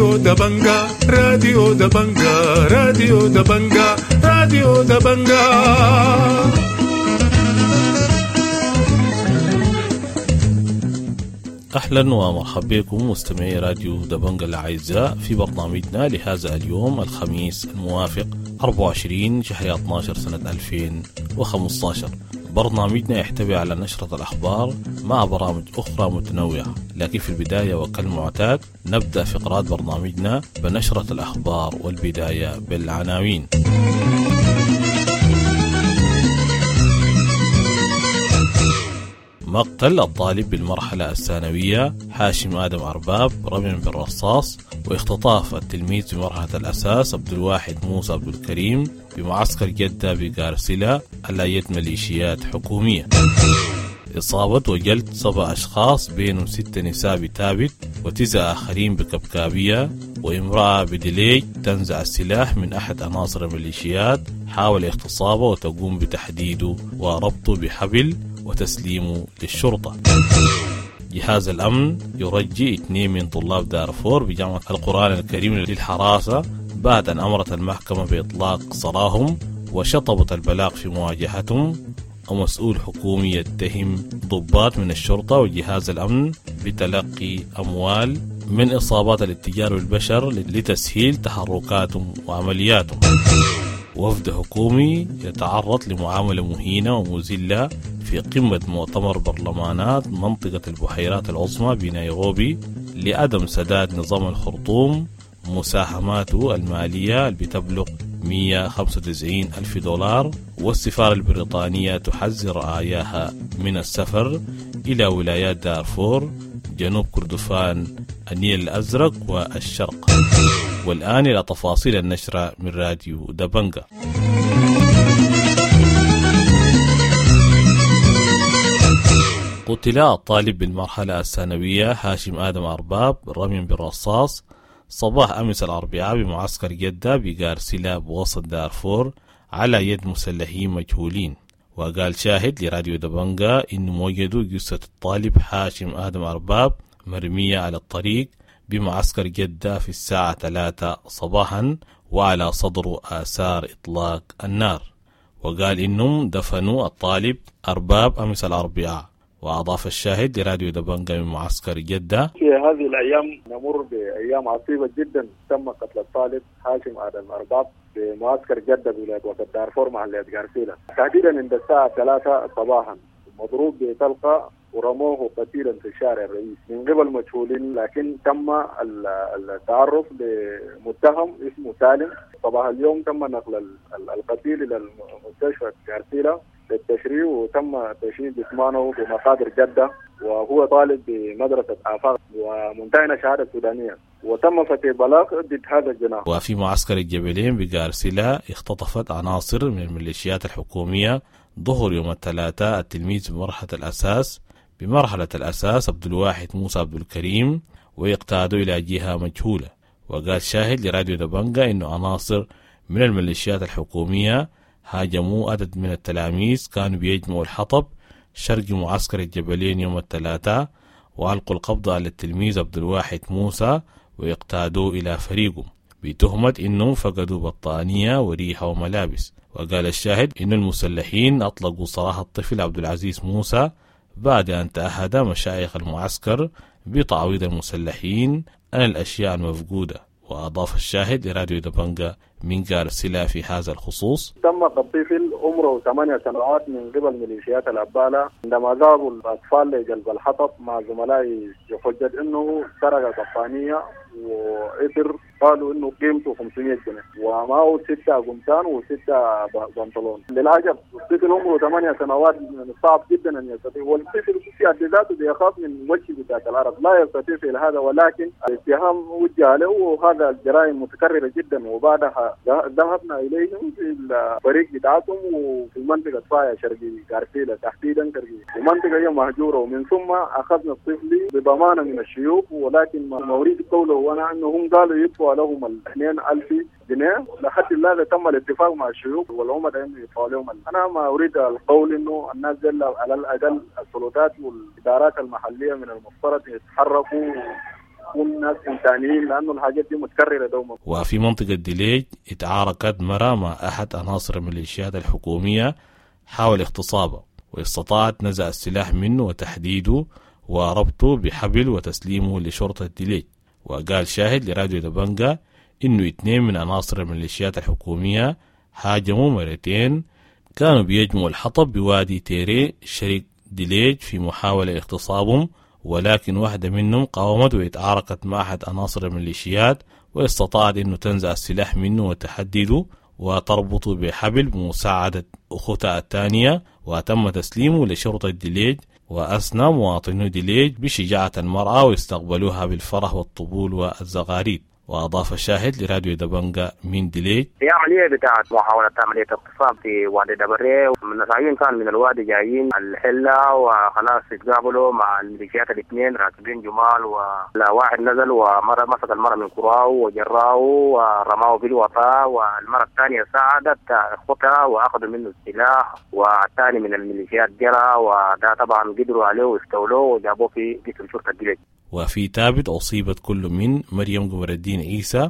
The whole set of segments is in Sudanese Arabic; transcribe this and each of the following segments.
راديو دبنجا، راديو دبنجا، راديو دبنجا، راديو دبنجا. أهلا ومرحبا بكم مستمعي راديو دبنجا الأعزاء في برنامجنا لهذا اليوم الخميس الموافق 24 شهر 12 سنة 2015. برنامجنا يحتوي على نشرة الأخبار مع برامج أخرى متنوعة، لكن في البداية وكالمعتاد نبدأ فقرات برنامجنا بنشرة الأخبار، والبداية بالعناوين. مقتل الطالب بالمرحلة الثانوية هاشم آدم أرباب رميا بالرصاص، واختطاف التلميذ بمرحلة الأساس عبد الواحد موسى عبد الكريم بمعسكر جدة بقارسلة على يد ميليشيات حكومية. إصابة وجلد 7 أشخاص بينهم 6 نساء بتابت و9 آخرين بكبكابية، وامرأة بدليج تنزع السلاح من أحد عناصر الميليشيات حاول اغتصابه وتقوم بتحديده وربطه بحبل وتسليمه للشرطة. جهاز الأمن يرجي 2 من طلاب دارفور بجامعة القرآن الكريم للحراسة بعد أن أمرت المحكمة بإطلاق سراهم وشطبت البلاغ في مواجهتهم. ومسؤول حكومي يتهم ضباط من الشرطة وجهاز الأمن بتلقي أموال من إصابات الاتجار بالبشر لتسهيل تحركاتهم وعملياتهم. وفد حكومي يتعرض لمعاملة مهينة ومذلة في قمة مؤتمر برلمانات منطقة البحيرات العظمى بنيروبي لعدم سداد نظام الخرطوم مساهماته المالية اللي بتبلغ 195 ألف دولار. والسفارة البريطانية تحذر رعاياها من السفر إلى ولايات دارفور، جنوب كردفان، النيل الأزرق والشرق. والآن إلى تفاصيل النشرة من راديو دبنجا. قتل الطالب بالمرحلة الثانوية هاشم آدم أرباب رميا بالرصاص صباح أمس الأربعاء بمعسكر جدة بقارسلة بوسط دارفور على يد مسلحين مجهولين. وقال شاهد لراديو دبنجا إنه وجدوا جثة الطالب هاشم آدم أرباب مرمية على الطريق بمعسكر جدة في الساعة 3 صباحا وعلى صدره آثار إطلاق النار. وقال إنهم دفنوا الطالب أرباب أمس الأربعاء. وأضاف الشاهد لراديو دبنجا من معسكر جدة: في هذه الأيام نمر بأيام عصيبة جدا. تم قتل الطالب هاشم آدم أرباب بمعسكر جدة بولاية وسط دارفور محلية غارسيلا، تحديدا عند الساعة 3 صباحا، مضروب بطلقة ورموه قتيلا في الشارع الرئيسي من قبل مجهولين، لكن تم التعرف لمتهم اسمه سالم. صباح اليوم تم نقل القتيل إلى المستشفى غارسيلا للتشريع، وتم تشييد جثمانه بمقابر جدة، وهو طالب بمدرسة آفاق ومنتهي شهادة سودانية، وتم فتح بلاغ ضد هذا الجناح. وفي معسكر الجبلين بقارسلة اختطفت عناصر من الميليشيات الحكومية ظهر يوم الثلاثاء التلميذ بمرحلة الأساس عبد الواحد موسى عبد الكريم ويقتادوا إلى جهة مجهولة. وقال شاهد لراديو دبنجا إنه عناصر من الميليشيات الحكومية هاجموا عدد من التلاميذ كانوا بيجمعوا الحطب شرق معسكر الجبلين يوم الثلاثاء، وألقوا القبض على التلميذ عبد الواحد موسى ويقتادوه إلى فريقه بتهمة إنهم فقدوا بطانية وريحة وملابس. وقال الشاهد إن المسلحين أطلقوا سراح الطفل عبد العزيز موسى بعد أن تأهد مشايخ المعسكر بتعويض المسلحين عن الأشياء المفقودة. وأضاف الشاهد لراديو دبنجا من قارسلة في هذا الخصوص: تم قتل طفل عمره 8 سنوات من قبل ميليشيات الأبالة عندما ذهبوا الأطفال لجلب الحطب مع زملائه بحجة أنه سرق بطانية وإثر، قالوا انه قيمته 500 جنيه ومعه 6 قمصان و6 بنطلون. للعجب الطفل عمره 8 سنوات، من الصعب جدا ان يستطيع، والطفل في حد ذاته بيخاف من وجه بتاعت العرب، لا يستطيع فعل هذا، ولكن الاتهام وجه له، وهذا الجرائم متكرره جدا. وبعدها ذهبنا اليهم في الفريق بتاعتهم وفي منطقه فايا شرقي غارسيلا تحديدا شرقي، ومنطقه هي مهجوره، ومن ثم اخذنا الطفل بضمانه من الشيوخ، ولكن ما اريد قوله وانا انهم قالوا يدفعوا لهم 2000 جنيه. لحد الآن تم الاتفاق مع الشيوخ والعمدة انه يدفعوا لهم. انا ما اريد القول انه الناس دي على الاقل السلطات والادارات المحليه من المفترض يتحركوا نكون ناس انسانيين، لانه الحاجات دي متكرره دوما. وفي منطقة ديليج اتعاركت مرة مع أحد عناصر الميليشيات الحكومية حاول اغتصابه، واستطاعت نزع السلاح منه وتحديده وربطه بحبل وتسليمه لشرطة ديليج. وقال شاهد لراديو دبنجا إنه 2 من عناصر الميليشيات الحكومية هاجموا مرتين كانوا بيجمعوا الحطب بوادي تيري شرق ديليج في محاولة لاغتصابهم، ولكن واحدة منهم قاومت واتعاركت مع أحد عناصر الميليشيات واستطاعت إنه تنزع السلاح منه وتحدده وتربطه بحبل بمساعدة أختها الثانية، وتم تسليمه لشرطة ديليج. وأثنى مواطنو ديليج بشجاعة المرأة واستقبلوها بالفرح والطبول والزغاريد. وأضاف الشاهد لراديو دبنجا من ديليج: في عملية بتاعت محاولة عملية اغتصاب في وادي دبري، من كان من الوادي جايين الحلة وخلاص اتقابلوا مع الميليشيات الاثنين راكبين جمال، وواحد نزل ومرة مسك المرة من كراه وجراه ورماه في الوطا، والمرة الثانية ساعدت اخوتها واخذوا منه السلاح، والثاني من الميليشيات جرى، وده طبعا قدروا عليه واستولوه وجابوه في قسم شرطة ديليج. وفي تابت أصيبت كل من مريم قمر الدين عيسى،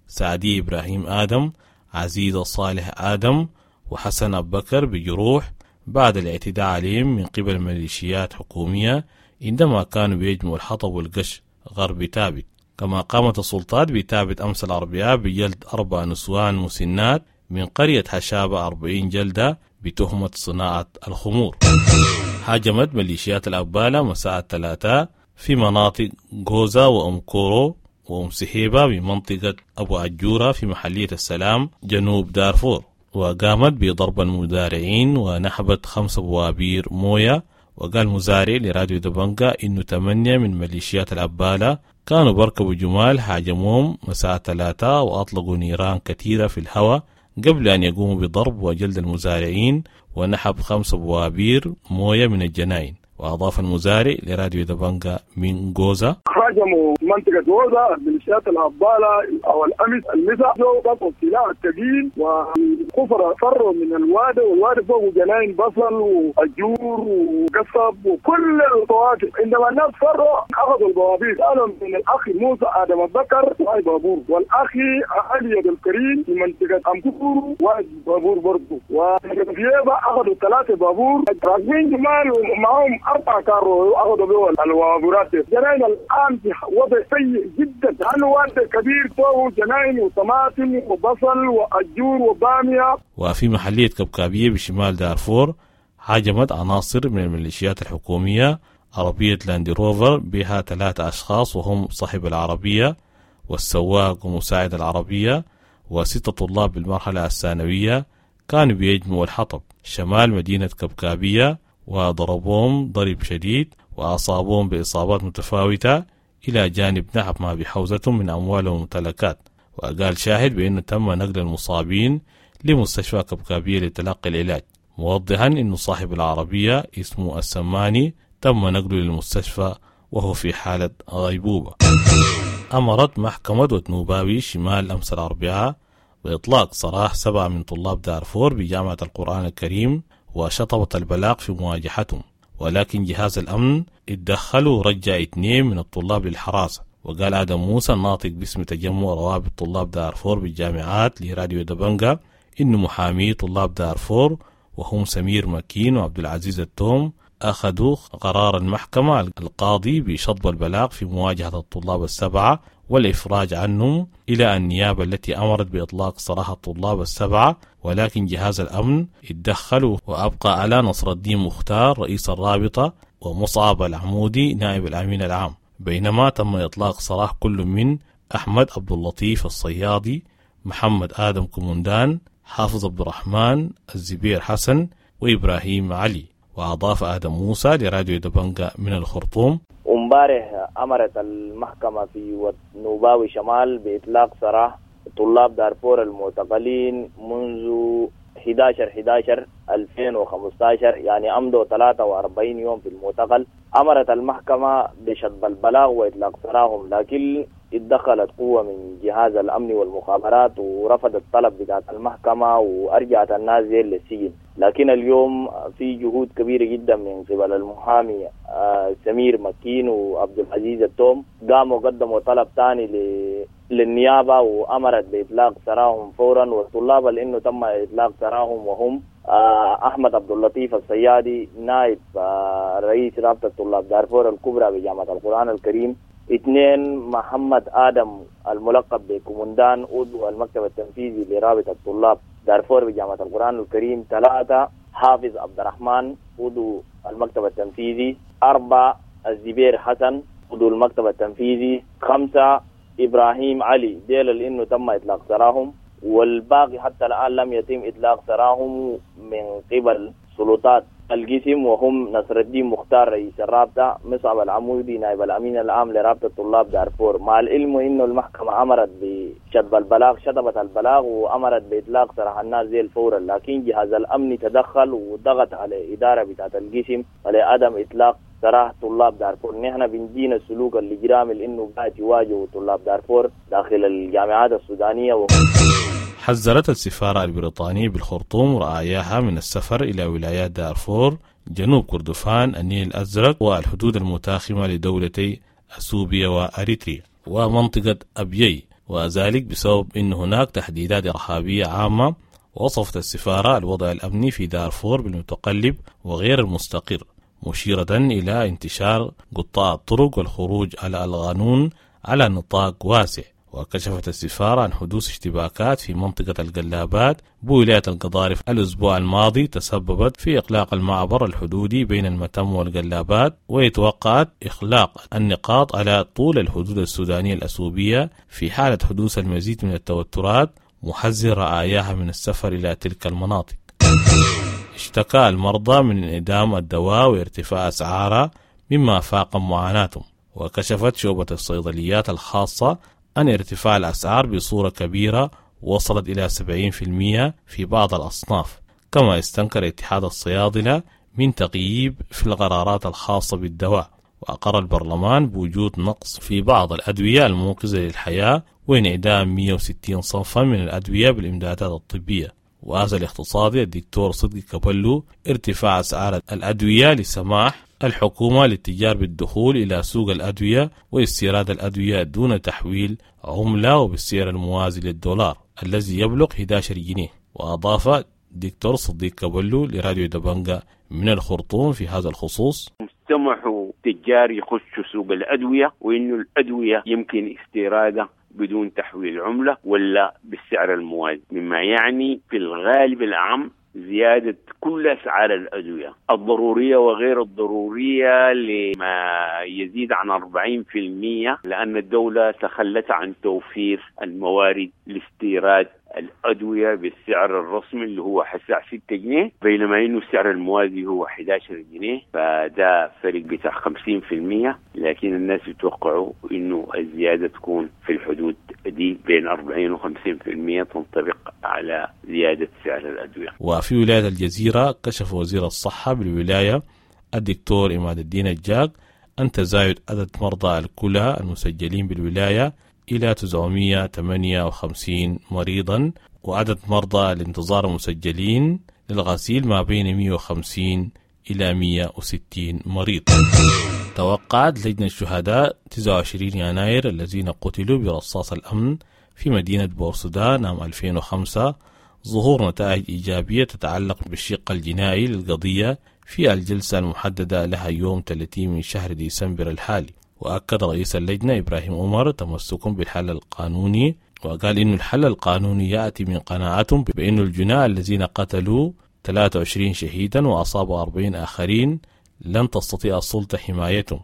سعدي إبراهيم آدم، عزيزة صالح آدم، وحسن أبو بكر بجروح بعد الاعتداء عليهم من قبل ميليشيات حكومية عندما كانوا بيجمعوا الحطب والقش غرب تابت. كما قامت السلطات بتابت أمس الأربعاء بجلد 4 نسوان مسنات من قرية حشابة 40 جلدة بتهمة صناعة الخمور. هاجمت ميليشيات الأبالة مساء الثلاثاء في مناطق غوزا وأم كورو وأم سحيبة بمنطقة أبو عجورة في محلية السلام جنوب دارفور، وقامت بضرب المزارعين ونحبت 5 بوابير موية. وقال مزارع لراديو دبنجا إنه 8 من ميليشيات الأبالة كانوا بركبوا جمال هاجموهم مساء 3 وأطلقوا نيران كثيرة في الهواء قبل أن يقوموا بضرب وجلد المزارعين ونحب 5 بوابير موية من الجناين. وأضاف المزارع لراديو دبنجا من غوزا: هاجموا منطقة غوزا ميليشيات الأبالة أو الأمس المساء، جو السلاح الثقيل والكفر فروا من الوادي، والوادي فوق جناين بصل وأجور وقصب وكل الفواكه. عندما الناس فروا أخذوا البوابير، قالوا من الأخ موسى آدم البكر واحد بابور، والأخ علي عبد الكريم في منطقة أمكور واحد بابور برضه، وفيبا أخذوا 3 بابور راكبين جمال ومعهم 4 كارو أخذوا به الوابورات. جناين الآن في وضع سيء جدا، لأنه وادي كبير فوق جناين وطماطم وبصل وأجور وبامية. وفي محلية كبكابية بشمال دارفور هاجمت عناصر من الميليشيات الحكومية عربية لاندي روفر بها 3 أشخاص وهم صاحب العربية والسواق ومساعد العربية و6 طلاب بالمرحلة الثانوية كانوا بيجمعوا الحطب شمال مدينة كبكابية، وضربوهم ضرب شديد وأصابوهم بإصابات متفاوتة إلى جانب نحب ما بحوزتهم من أموال وممتلكات. وقال شاهد بأنه تم نقل المصابين لمستشفى كبكابية لتلقي العلاج، موضحا أن صاحب العربية اسمه السماني تم نقله للمستشفى وهو في حالة غيبوبة. أمرت محكمة وتنوباوي شمال أمس الأربعاء بإطلاق سراح 7 من طلاب دارفور بجامعة القرآن الكريم وشطبت البلاغ في مواجهتهم، ولكن جهاز الأمن اتدخل ورجع 2 من الطلاب للحراسة. وقال آدم موسى الناطق باسم تجمع روابط طلاب دارفور بالجامعات لراديو دبنجا إنه محامي طلاب دارفور وهم سمير مكين وعبد العزيز التوم أخذوا قرار المحكمة القاضي بشطب البلاغ في مواجهة الطلاب 7 والإفراج عنهم إلى النيابة التي أمرت بإطلاق سراح الطلاب 7، ولكن جهاز الأمن اتدخل وأبقى على نصر الدين مختار رئيس الرابطة ومصعب العمودي نائب الأمين العام، بينما تم إطلاق سراح كل من أحمد عبد اللطيف الصيادي، محمد آدم كومندان، حافظ عبد الرحمن، الزبير حسن، وإبراهيم علي. وأضاف آدم موسى لراديو دبنجا من الخرطوم: امبارح أمرت المحكمة في نوباوي شمال بإطلاق سراح طلاب دارفور المعتقلين منذ 11/11/2015، يعني أمضوا 43 يوم في المعتقل. أمرت المحكمة بشطب البلاغ وإطلاق سراحهم، لكن اتدخلت قوة من جهاز الأمن والمخابرات ورفضت الطلب بتاعت المحكمة وأرجعت الناس دي للسجن. لكن اليوم في جهود كبيرة جدا من قبل المحامي سمير مكين وعبد العزيز التوم، قاموا قدموا طلب ثاني للنيابة وأمرت بإطلاق سراهم فورا. والطلاب لأنه تم إطلاق سراهم وهم أحمد عبد اللطيف الصيادي نائب رئيس رابطة طلاب دارفور الكبرى بجامعة القرآن الكريم، 2 محمد آدم الملقب بكومندان عضو المكتب التنفيذي لرابطة طلاب دارفور بجامعة القرآن الكريم، 3 حافظ عبد الرحمن عضو المكتب التنفيذي، 4 الزبير حسن عضو المكتب التنفيذي، 5 إبراهيم علي. ديل لأنه تم إطلاق سراهم، والباقي حتى الآن لم يتم إطلاق سراهم من قبل سلطات القسم، وهم نصر الدين مختار رئيس الرابطة، مصعب العمودي نائب الأمين العام لرابطة طلاب دارفور. مع العلم إنه المحكمة أمرت بشطب البلاغ، شطبت البلاغ وأمرت بإطلاق سراح الناس زي فورا، لكن جهاز الأمن تدخل وضغط على إدارة بتاعة القسم لعدم إطلاق سراح طلاب دارفور. نحن بندين السلوك الإجرامي لأنه قاعد يواجهوا طلاب دارفور داخل الجامعات السودانية. حذرت السفارة البريطانية بالخرطوم رعاياها من السفر إلى ولايات دارفور، جنوب كردفان، النيل الأزرق والحدود المتاخمة لدولتي أثيوبيا وأريتريا ومنطقة أبيي، وذلك بسبب أن هناك تهديدات إرهابية عامة. وصفت السفارة الوضع الأمني في دارفور بالمتقلب وغير المستقر، مشيرة إلى انتشار قطاع الطرق والخروج على القانون على نطاق واسع. وكشفت السفارة عن حدوث اشتباكات في منطقة القلابات بولاية القضارف الأسبوع الماضي تسببت في إغلاق المعبر الحدودي بين المتم والقلابات، ويتوقعت إغلاق النقاط على طول الحدود السودانية الأثيوبية في حالة حدوث المزيد من التوترات، محذر رعاياها من السفر إلى تلك المناطق. اشتكى المرضى من انعدام الدواء وارتفاع أسعاره مما فاقم معاناتهم. وكشفت شعبة الصيدليات الخاصة أن ارتفاع الأسعار بصورة كبيرة وصلت إلى 70% في بعض الأصناف، كما استنكر اتحاد الصيادلة من تغييب في القرارات الخاصة بالدواء. وأقر البرلمان بوجود نقص في بعض الأدوية المنقذة للحياة وانعدام 160 صنفا من الأدوية بالإمدادات الطبية. وهذا الاقتصادي الدكتور صدقي كابلو ارتفاع أسعار الأدوية لسماح الحكومة للتجار بالدخول إلى سوق الأدوية واستيراد الأدوية دون تحويل عملة وبالسعر الموازي للدولار الذي يبلغ 11 جنيه. وأضاف دكتور صديق كابلو لراديو دبنجا من الخرطوم في هذا الخصوص: سمحوا تجار يخشوا سوق الأدوية، وإنه الأدوية يمكن استيرادها بدون تحويل عملة ولا بالسعر الموازي، مما يعني في الغالب العام زيادة كل أسعار الأدوية الضرورية وغير الضرورية لما يزيد عن 40%، لأن الدولة تخلت عن توفير الموارد لاستيراد الأدوية بالسعر الرسمي اللي هو حسع 6 جنيه، بينما إنه السعر الموازي هو 11 جنيه، فده فرق بتاع 50%. لكن الناس يتوقعوا إنه الزيادة تكون في الحدود دي بين 40 و 50% تنطبق على زيادة سعر الأدوية. وفي ولاية الجزيرة كشف وزير الصحة بالولاية الدكتور عماد الدين الجاك أن تزايد عدد مرضى الكلى المسجلين بالولاية إلى 958 مريضا، وعدد مرضى الانتظار المسجلين للغسيل ما بين 150 إلى 160 مريض. توقعت لجنة الشهداء 29 يناير الذين قتلوا برصاص الأمن في مدينة بورسودان عام 2005 ظهور نتائج إيجابية تتعلق بالشق الجنائي للقضية في الجلسة المحددة لها يوم 30 من شهر ديسمبر الحالي. وأكد رئيس اللجنة إبراهيم عمر تمسكهم بالحل القانوني، وقال إن الحل القانوني يأتي من قناعتهم بأن الجناة الذين قتلوا 23 شهيدا وأصابوا 40 آخرين لن تستطيع السلطة حمايتهم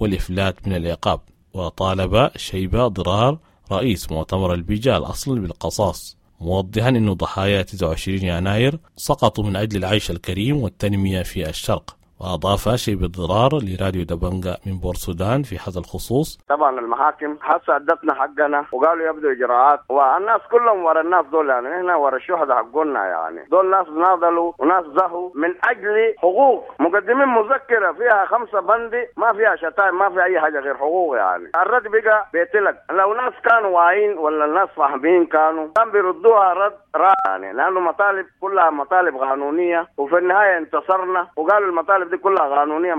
والإفلات من العقاب. وطالب شيبة ضرار رئيس مؤتمر البيجا الأصل بالقصاص، موضحا أن ضحايا 29 يناير سقطوا من أجل العيش الكريم والتنمية في الشرق. وأضاف شيب الضرار لراديو دبنجا من بورسودان في هذا الخصوص: طبعا المحاكم هسه ادتنا حقنا وقالوا يبدو اجراءات، والناس كلهم ورا الناس دول، يعني نحن ورا الشهداء حقنا، يعني دول ناس ناضلوا وناس زهوا من اجل حقوق، مقدمين مذكره فيها 5 بند ما فيها شتائم، ما فيها اي حاجه غير حقوق. يعني الرد بقى بيتلك، لو ناس كانوا واعيين ولا الناس فاهمين كان بيردوها رد رائع، يعني لانه مطالب كلها مطالب قانونيه، وفي النهايه انتصرنا وقالوا المطالب دي كلها قانونيه.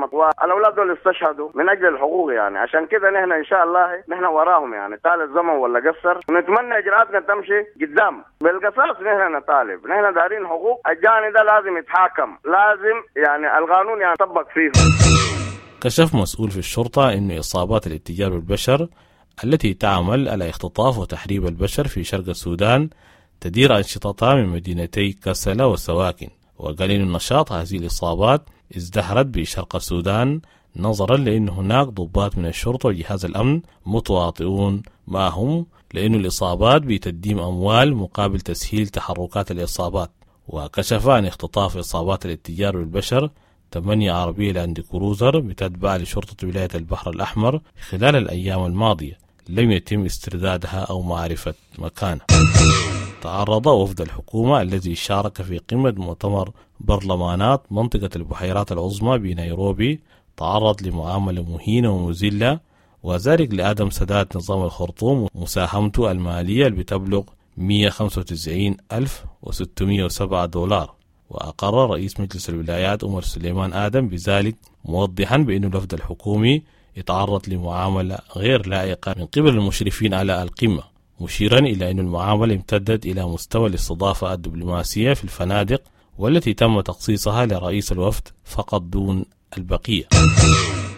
الاولاد دول استشهدوا من اجل الحقوق، يعني عشان كده نحن ان شاء الله نحن وراهم، يعني طال الزمن ولا قصر، ونتمنى اجراءاتنا تمشي قدام بالقصاص. نحن نطالب، نحن دارين حقوق، الجاني ده لازم يتحاكم، لازم يعني القانون يعني يطبق فيه. كشف مسؤول في الشرطة أن إصابات الاتجار بالبشر التي تعمل على اختطاف وتحريب البشر في شرق السودان تدير أنشطتها من مدينتي كسلا وسواكن. وقال إن النشاط هذه الإصابات ازدهرت بشرق السودان نظرا لأن هناك ضباط من الشرطة وجهاز الأمن متواطئون معهم، لأن الإصابات بتقديم أموال مقابل تسهيل تحركات الإصابات. وكشف عن اختطاف إصابات الاتجار بالبشر 8 عربية لاند كروزر بتتبع لشرطة ولاية البحر الأحمر خلال الأيام الماضية لم يتم استردادها أو معرفة مكانها. تعرض وفد الحكومة الذي شارك في قمة مؤتمر برلمانات منطقة البحيرات العظمى بنيروبي تعرض لمعاملة مهينة ومذلة، وذلك لعدم سداد نظام الخرطوم مساهمته المالية اللي بتبلغ 195,607 دولار. وأقر رئيس مجلس الولايات عمر سليمان آدم بذلك، موضحا بأن الوفد الحكومي يتعرض لمعاملة غير لائقة من قبل المشرفين على القمة، مشيرا إلى أن المعاملة امتدت إلى مستوى الاستضافة الدبلوماسية في الفنادق والتي تم تخصيصها لرئيس الوفد فقط دون البقية.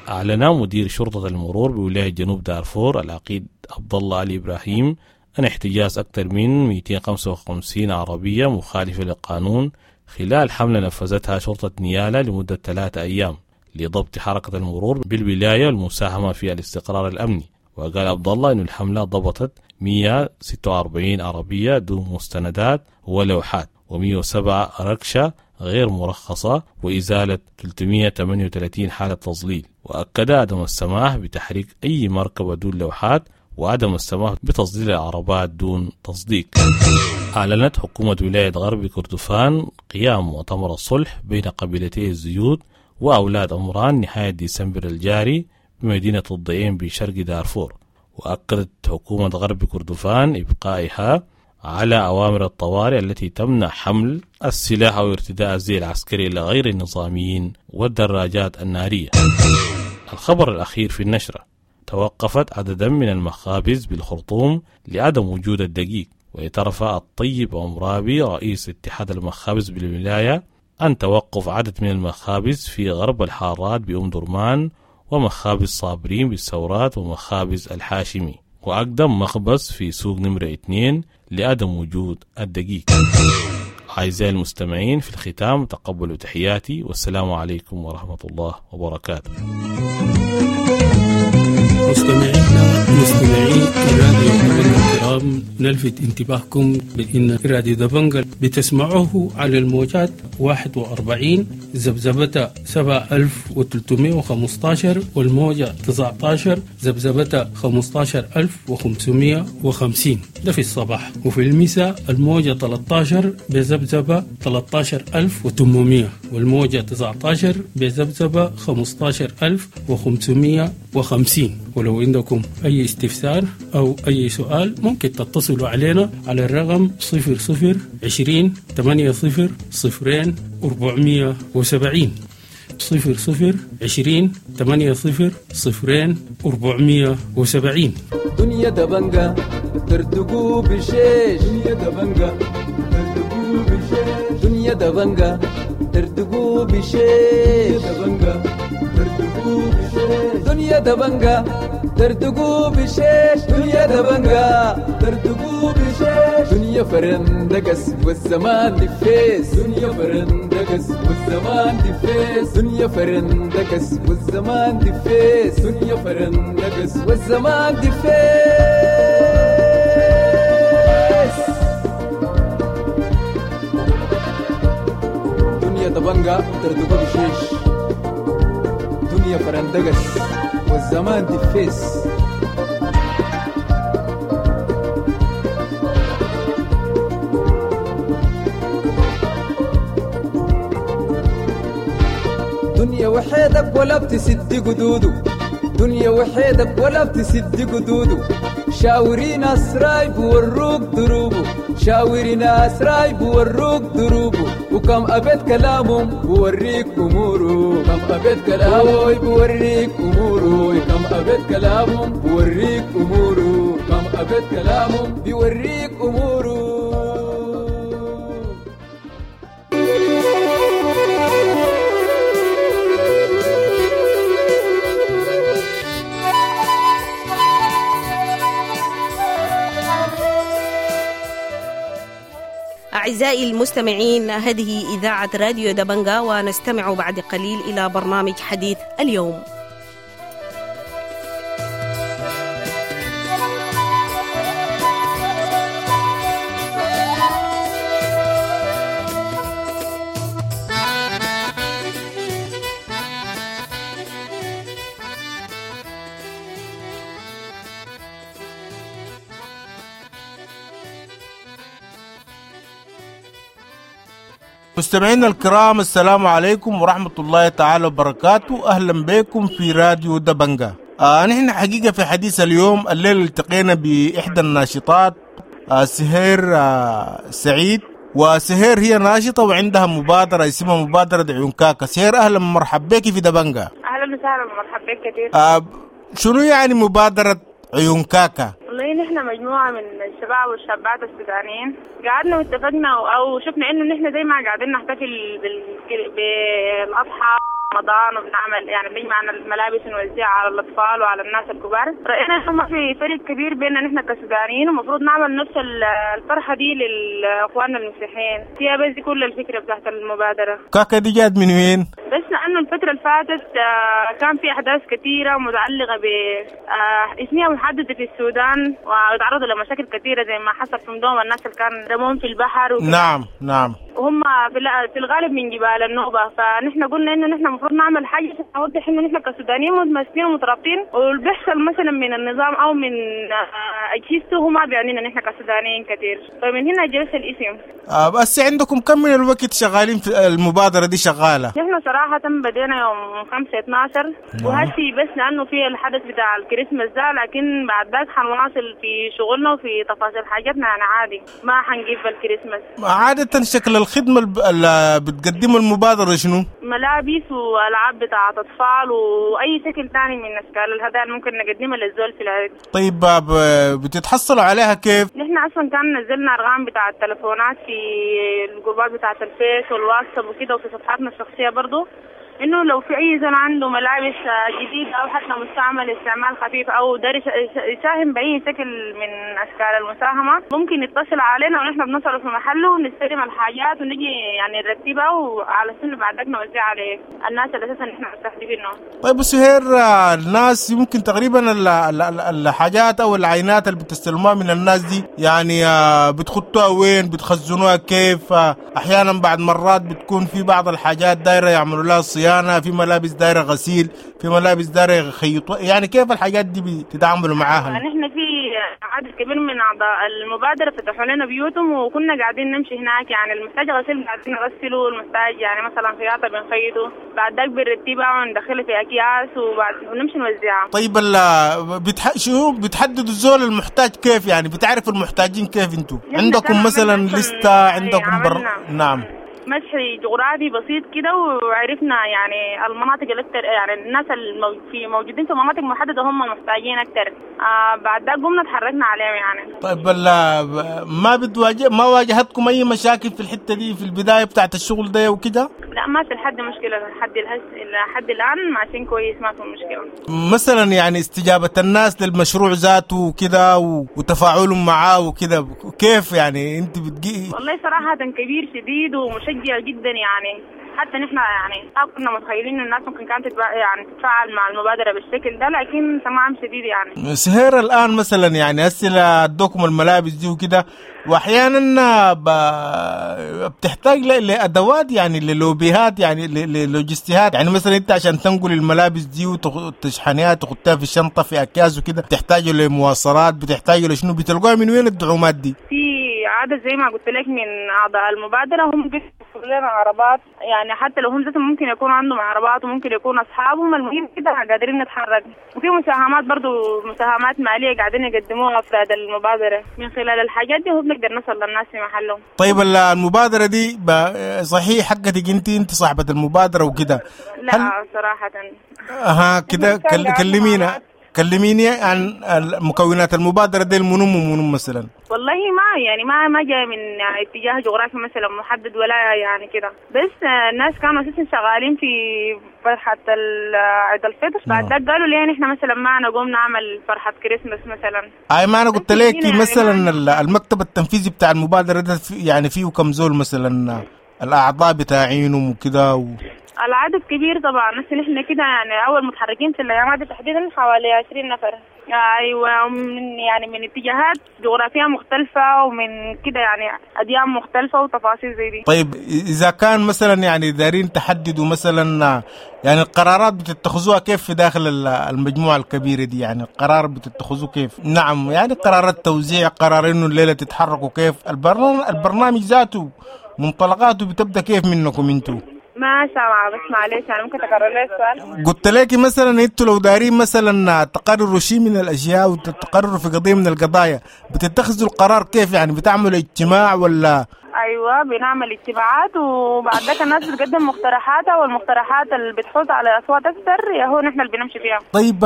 أعلن مدير شرطة المرور بولاية جنوب دارفور العقيد عبد الله علي إبراهيم أن احتجاز أكثر من 255 عربية مخالفة للقانون خلال حملة نفذتها شرطة نيالا لمدة 3 أيام لضبط حركة المرور بالولاية والمساهمة في الاستقرار الأمني. وقال عبد الله أن الحملة ضبطت 146 عربية دون مستندات ولوحات، و107 ركشة غير مرخصة، وإزالة 338 حالة تظليل. وأكد عدم السماح بتحريك أي مركبة دون لوحات، وعدم السماح بتظليل العربات دون تصديق. أعلنت حكومة ولاية غرب كردفان قيام مؤتمر الصلح بين قبيلتي الزيود وأولاد عمران نهاية ديسمبر الجاري بمدينة الضعين بشرق دارفور. وأكدت حكومة غرب كردفان إبقائها على أوامر الطوارئ التي تمنع حمل السلاح أو ارتداء الزي العسكري لغير النظاميين والدراجات النارية. الخبر الأخير في النشرة: توقفت عددا من المخابز بالخرطوم لعدم وجود الدقيق. واعترف الطيب عمرابي رئيس اتحاد المخابز بالولاية أن توقف عدد من المخابز في غرب الحارات بأم درمان، ومخابز صابرين بالثورات، ومخابز الحاشمي، وأقدم مخبز في سوق نمرة 2 لعدم وجود الدقيق. أعزائي المستمعين، في الختام تقبلوا تحياتي، والسلام عليكم ورحمة الله وبركاته. مستمعينا مستمعي راديو دبنجا الكرام، نلفت انتباهكم بأن راديو دبنجا بتسمعوه على الموجات 41 ذبذبة 7315 والموجة 19 ذبذبة 15550، ده في الصباح، وفي المساء الموجة 13 بذبذبة 13800 والموجة 19 بذبذبة 15550. ولو عندكم أي استفسار أو أي سؤال ممكن تتصلوا علينا على الرقم 00 20 80 0 470، 00 20 80 0 470. دنيا دبنجة ترتقو بشيش، دنيا دبنجة ترتقو بشيش، دنيا دبنجة ترتقو بشيش، دبنجة ترتقو بشيش، دنيا دبنجة ترتقو بشيش، دنيا دبنجة ترتقو بشيش، دنيا فرندقس والزمان دفيس، دنيا فرندقس والزمان دفيس، دنيا فرندقس والزمان دفيس، دنيا فرندقس والزمان دفيس. دنيا دبنجة ترتقو بشيش. الدنيا فرندقس والزمان دفيس. دنيا وحيدك ولا بتسد قدوده، دنيا وحيدك ولا بتسد قدوده، شاوري ناس رايب وروك دروبه، شاوري ناس رايب وروك دروبه، وكم أبيت كلامهم بوريك أموره، كم أبيت كلامهم بوريك أموره، كم أبيت كلامهم بوريك أموره، كم أبيت كلامهم بوريك أموره. أعزائي المستمعين، هذه إذاعة راديو دبنجا، ونستمع بعد قليل إلى برنامج حديث اليوم. مستمعينا الكرام، السلام عليكم ورحمة الله تعالى وبركاته. أهلا بكم في راديو دبنجا. نحن حقيقة في حديث اليوم الليلة التقينا بإحدى الناشطات، سهير سعيد. وسهير هي ناشطة وعندها مبادرة اسمها مبادرة عيون كاكا. سهير، أهلا مرحبا بك في دبنجا. أهلا وسهلا، مرحبا بك كثير. شنو يعني مبادرة عيون كاكا؟ والله نحن مجموعة من الشباب والشابات السودانيين قعدنا واتفقنا أو شفنا إنه نحن زي ما قاعدين نحتفل بالأضحى رمضان وبنعمل يعني بنجمع الملابس ونوزعها على الأطفال وعلى الناس الكبار، رأينا إنه ما في فرق كبير بيننا نحن كسودانيين، ومفروض نعمل نفس الفرحة دي للإخوان المسيحيين. هي بس دي كل الفكرة بتاعت المبادرة. كاكا دي جات من وين؟ بس لأنه الفترة اللي فاتت كان في أحداث كثيرة متعلقة بإثنية محددة في السودان، وتعرضوا لمشاكل كثيرة زي ما حصل في مدوم الناس اللي كان رموهم في البحر وكده. نعم نعم، وهم في الغالب من جبال النوبة. فنحن قلنا إنه نحن المفروض نعمل حاجة عشان نوضح إنه نحن كسودانيين متماسكين ومترابطين، واللي بيحصل مثلا من النظام أو من أجهزته هو ما بيعنينا نحن كسودانيين كثير. فمن هنا جلس الاسم. بس عندكم كم من الوقت شغالين في المبادرة دي شغالة؟ نحن صراحة بدينا يوم 5/12 وهسي بس لأنه في الحدث بتاع الكريسماس ده، لكن بعد ذاك حنواصل في شغلنا وفي تفاصيل حاجاتنا يعني عادي، ما حنجيب الكريسماس. عادة شكل الخدمة اللي بتقدمه المبادرة شنو؟ ملابس وألعاب بتاعة أطفال وأي شكل تاني من أشكال الهدايا اللي ممكن نقدمها للزول في العيد. طيب بتتحصلوا عليها كيف؟ نحن أصلا كان نزلنا أرقام بتاعة التلفونات في الجروبات بتاعة الفيس والواتساب وكده، وفي صفحاتنا الشخصية برضو، إنه لو في أي زول عنده ملابس جديدة أو حتى مستعمل استعمال خفيف أو دارس يساهم بأي شكل من أشكال المساهمة ممكن يتصل علينا، ونحن بنصل في محله ونستلم الحاجات ونجي يعني نرتبها، وعلى سنة بعد ذلك نوزعها على الناس اللي أساسا نحن مستهدفينهم. طيب سهير، الناس يمكن تقريبا الحاجات أو العينات اللي بتستلموها من الناس دي يعني بتخطوها وين؟ بتخزنوها كيف؟ أحيانا بعد مرات بتكون في بعض الحاجات دايرة يعملوا لها صيانة، في ملابس دايرة غسيل، في ملابس دايرة يخيطوا، يعني كيف الحاجات دي بتتعاملوا معاها؟ نحن في عدد كبير من أعضاء المبادرة فتحوا لنا بيوتهم وكنا قاعدين نمشي هناك، يعني المحتاج غسيل قاعدين نغسله، المحتاج يعني مثلا خياطة بنخيطه، بعد ذاك بنرتبها وندخلها في أكياس وبعد ونمشي نوزعها. طيب شو بتحددوا الزول المحتاج كيف؟ يعني بتعرفوا المحتاجين كيف انتوا؟ عندكم مثلا لستة؟ عندكم نعم مسح جغرافي بسيط كده، وعرفنا يعني المناطق الأكثر، يعني الناس في موجودين في مناطق محددة هم محتاجين أكثر. بعد ده قمنا تحركنا عليهم يعني. طيب ما بتواجه ما واجهتكم أي مشاكل في الحتة دي في البداية بتاعت الشغل ده وكده؟ لا ما في لحد مشكلة لحد الآن ماشيين كويس، ما في مشكلة. مثلا يعني استجابة الناس للمشروع ذاته وكده وتفاعلهم معاه وكده كيف يعني انت بتجي؟ والله صراحة كبير شديد ومشجع جدا يعني. حتى نحن يعني ما كنا متخيلين إنه الناس ممكن كانت يعني تتفاعل مع المبادرة بالشكل ده، لكن تمام شديد يعني. سهير الآن مثلا يعني هسه ادوكم الملابس دي وكده، واحيانا بتحتاج لادوات يعني للوبيهات يعني للوجستيات، يعني مثلا انت عشان تنقل الملابس دي وتشحنيها تحطها في الشنطة في اكياس وكده، بتحتاج لمواصلات، بتحتاج لشنو؟ بتلقوها من وين الدعومات دي؟ في عدد زي ما قلت لك من اعضاء المبادرة هم بيوفروا لنا عربات، يعني حتى لو هم ذاتهم ممكن يكون عندهم عربات وممكن يكون اصحابهم، المهم كده قادرين نتحرك. وفي مساهمات برضو، مساهمات ماليه قاعدين يقدموها افراد المبادرة، من خلال الحاجات دي هو بنقدر نصل للناس في محلهم. طيب المبادرة دي صحيح حقتك انت صاحبه المبادرة وكده؟ لا صراحة. اها كده كلميني عن مكونات المبادرة دي، المنم ومنم مثلا. والله ما يعني ما جاي من اتجاه جغرافي مثلا محدد ولا يعني كده، بس الناس كانوا اساسا شغالين في فرحة عيد الفطر، بعد ذاك قالوا ليه نحن مثلا ما نقوم نعمل فرحة كريسماس مثلا. اي ما انا قلت لك مثلا المكتب التنفيذي بتاع المبادرة ده يعني فيه كم زول مثلا الاعضاء بتاعينهم وكده العدد كبير طبعا، بس نحن كده يعني اول متحركين في الايام دي تحديدا حوالي 20 نفر. ايوه، من يعني من اتجاهات جغرافية مختلفة ومن كده يعني اديان مختلفة وتفاصيل زي دي. طيب اذا كان مثلا يعني دارين تحددوا مثلا يعني القرارات بتتخذوها كيف في داخل المجموعة الكبيرة دي؟ يعني القرار بتتخذوه كيف؟ نعم يعني قرارات توزيع، قرار انه الليلة تتحركوا كيف، البرنامج ذاته منطلقاته بتبدا كيف منكم انتوا؟ ما سامعة بس معلش أنا ممكن تكرر لي السؤال؟ قلت لك مثلا انتوا لو دارين مثلا تقرروا شيء من الأشياء وتقرروا في قضية من القضايا، بتتخذوا القرار كيف؟ يعني بتعملوا اجتماع ولا؟ أيوة بنعمل اجتماعات، وبعد ذاك الناس بتقدم مقترحاتها، والمقترحات اللي بتحوز على أصوات أكثر يا هو نحن اللي بنمشي فيها. طيب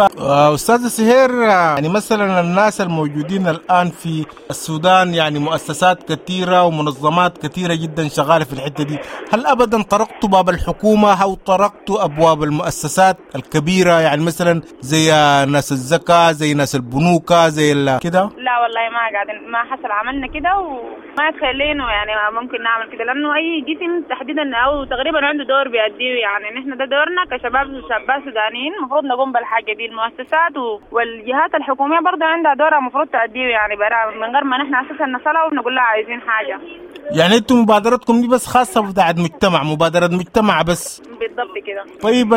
أستاذة سهير، يعني مثلا الناس الموجودين الآن في السودان يعني مؤسسات كثيرة ومنظمات كثيرة جدا شغالة في الحتة دي، هل أبدا طرقتوا باب الحكومة أو طرقتوا أبواب المؤسسات الكبيرة، يعني مثلا زي ناس الزكاة، زي ناس البنوكة، زي كده؟ لا والله ما قاعدين، ما حصل عملنا كده وما تخلينه يعني ممكن نعمل كده، لأنه أي جسم تحديدا أو تقريبا عنده دور بيأديه، يعني نحن ده دورنا كشباب وشابات سودانيين المفروض نقوم بالحاجة دي. المؤسسات والجهات الحكومية برضه عندها دورها المفروض تأدية، يعني برا من غير ما نحن أساسا نصلها ونقول لها عايزين حاجة. يعني انتم مبادرتكم دي بس خاصة بتاعت مجتمع، مبادرة مجتمع بس؟ بالضبط كده. طيب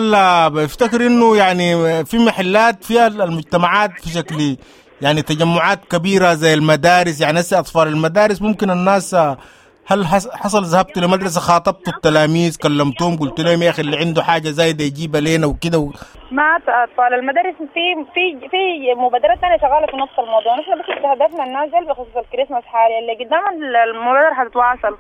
بفتكر انه يعني في محلات فيها المجتمعات في شكل يعني تجمعات كبيرة زي المدارس، يعني هسه أطفال المدارس ممكن الناس، هل حصل ذهبتوا لمدرسة خاطبتوا التلاميذ كلمتهم قلت لهم يا أخي اللي عنده حاجة زايدة يجيبها لنا وكده ما أطفال المدارس في في في مبادرات ثانية شغالة في نفس الموضوع، نحن بس استهدفنا الناس بخصوص الكريسماس حاليا، اللي قدام المبادرة حتتواصل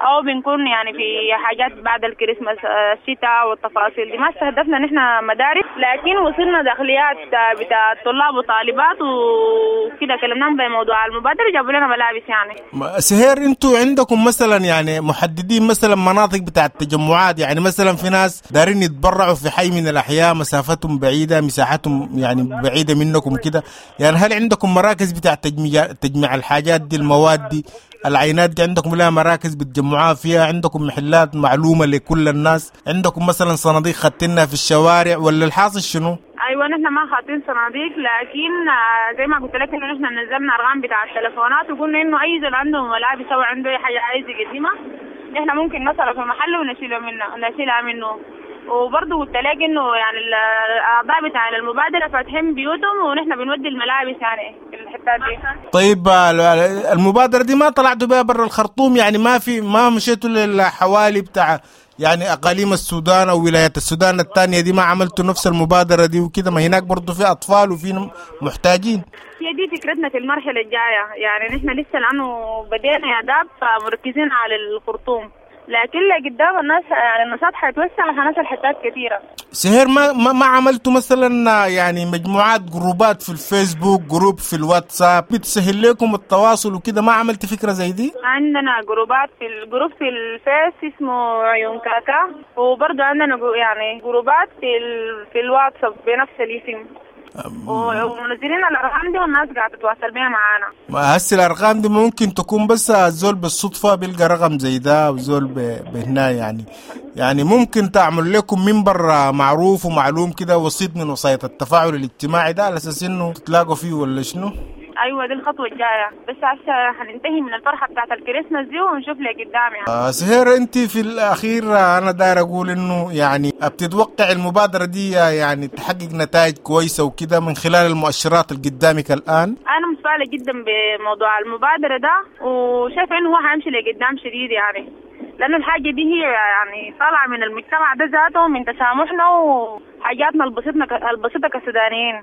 أو بنكون يعني في حاجات بعد الكريسماس الشتاء والتفاصيل دي. ما استهدفنا نحن مدارس، لكن وصلنا داخليات بتاع الطلاب وطالبات وكده، كلمناهم بموضوع المبادرة جابوا لنا ملابس. يعني سهير انتوا عندكم مثلا يعني محددين مثلا مناطق بتاع التجمعات، يعني مثلا في ناس دارين يتبرعوا في حي من الأحياء مسافتهم بعيدة، مساحتهم يعني بعيدة منكم كده، يعني هل عندكم مراكز بتاع تجميع الحاجات دي، المواد دي، العينات دي، عندكم لها مراكز بتجمعوها فيها؟ عندكم محلات معلومة لكل الناس؟ عندكم مثلا صناديق خدتنها في الشوارع ولا الحاصل شنو؟ ايوه نحن ما خاطين صناديق، لكن زي ما قلت لك انه نحن نزلنا ارقام بتاع التليفونات وقلنا انه اي زول عنده ملابس او عنده اي حاجة عايز يقدمها نحن ممكن نصل في محله ونشيله منه، نشيلها منه. وبرضه قلت لك انه يعني الاعضاء بتاع المبادرة فاتحين بيوتهم ونحن بنودي الملابس يعني في الحتات دي. طيب المبادرة دي ما طلعتوا بها برا الخرطوم، يعني ما مشيتوا للحوالي بتاع يعني اقاليم السودان او ولايات السودان الثانية دي، ما عملتوا نفس المبادرة دي وكده؟ ما هناك برضه في اطفال وفي محتاجين. هي دي فكرتنا في المرحلة الجاية، يعني نحن لسه لانه بدينا يا داب فمركزين على الخرطوم، لكن لقدام الناس يعني النشاط حيتوسع وحنصل حتات كثيرة. سهير ما عملتوا مثلا يعني مجموعات جروبات في الفيسبوك، group في الواتساب بتسهل لكم التواصل وكده، ما عملت فكرة زي دي؟ عندنا جروبات في ال group في الفيس اسمه عيون كاكا، وبرضه عندنا يعني جروبات في الواتساب بنفس الاسم. ومنزلين الارقام دي والناس قاعدة تتواصل بيها معانا. ما هسه الارقام دي ممكن تكون بس الزول بالصدفة بيلقى رقم زي ده وزول بهنا، يعني ممكن تعمل لكم منبر معروف ومعلوم كده، وسيط من وسائط التفاعل الاجتماعي ده، على اساس انه تتلاقوا فيه ولا شنو؟ ايوه دي الخطوة الجاية، بس هسه هننتهي من الفرحة بتاعت الكريسماس دي ونشوف لي قدام يعني. سهير، انت في الاخير انا داير اقول انه يعني بتتوقع المبادرة دي يعني تحقق نتائج كويسة وكده من خلال المؤشرات اللي قدامك الان؟ انا متفائلة جدا بموضوع المبادرة ده، وشايفه انه هو هيمشي لقدام شديد يعني، لانه الحاجة دي هي يعني طالعه من المجتمع ده ذاته، من تسامحنا وحاجاتنا البسيطة كسودانيين.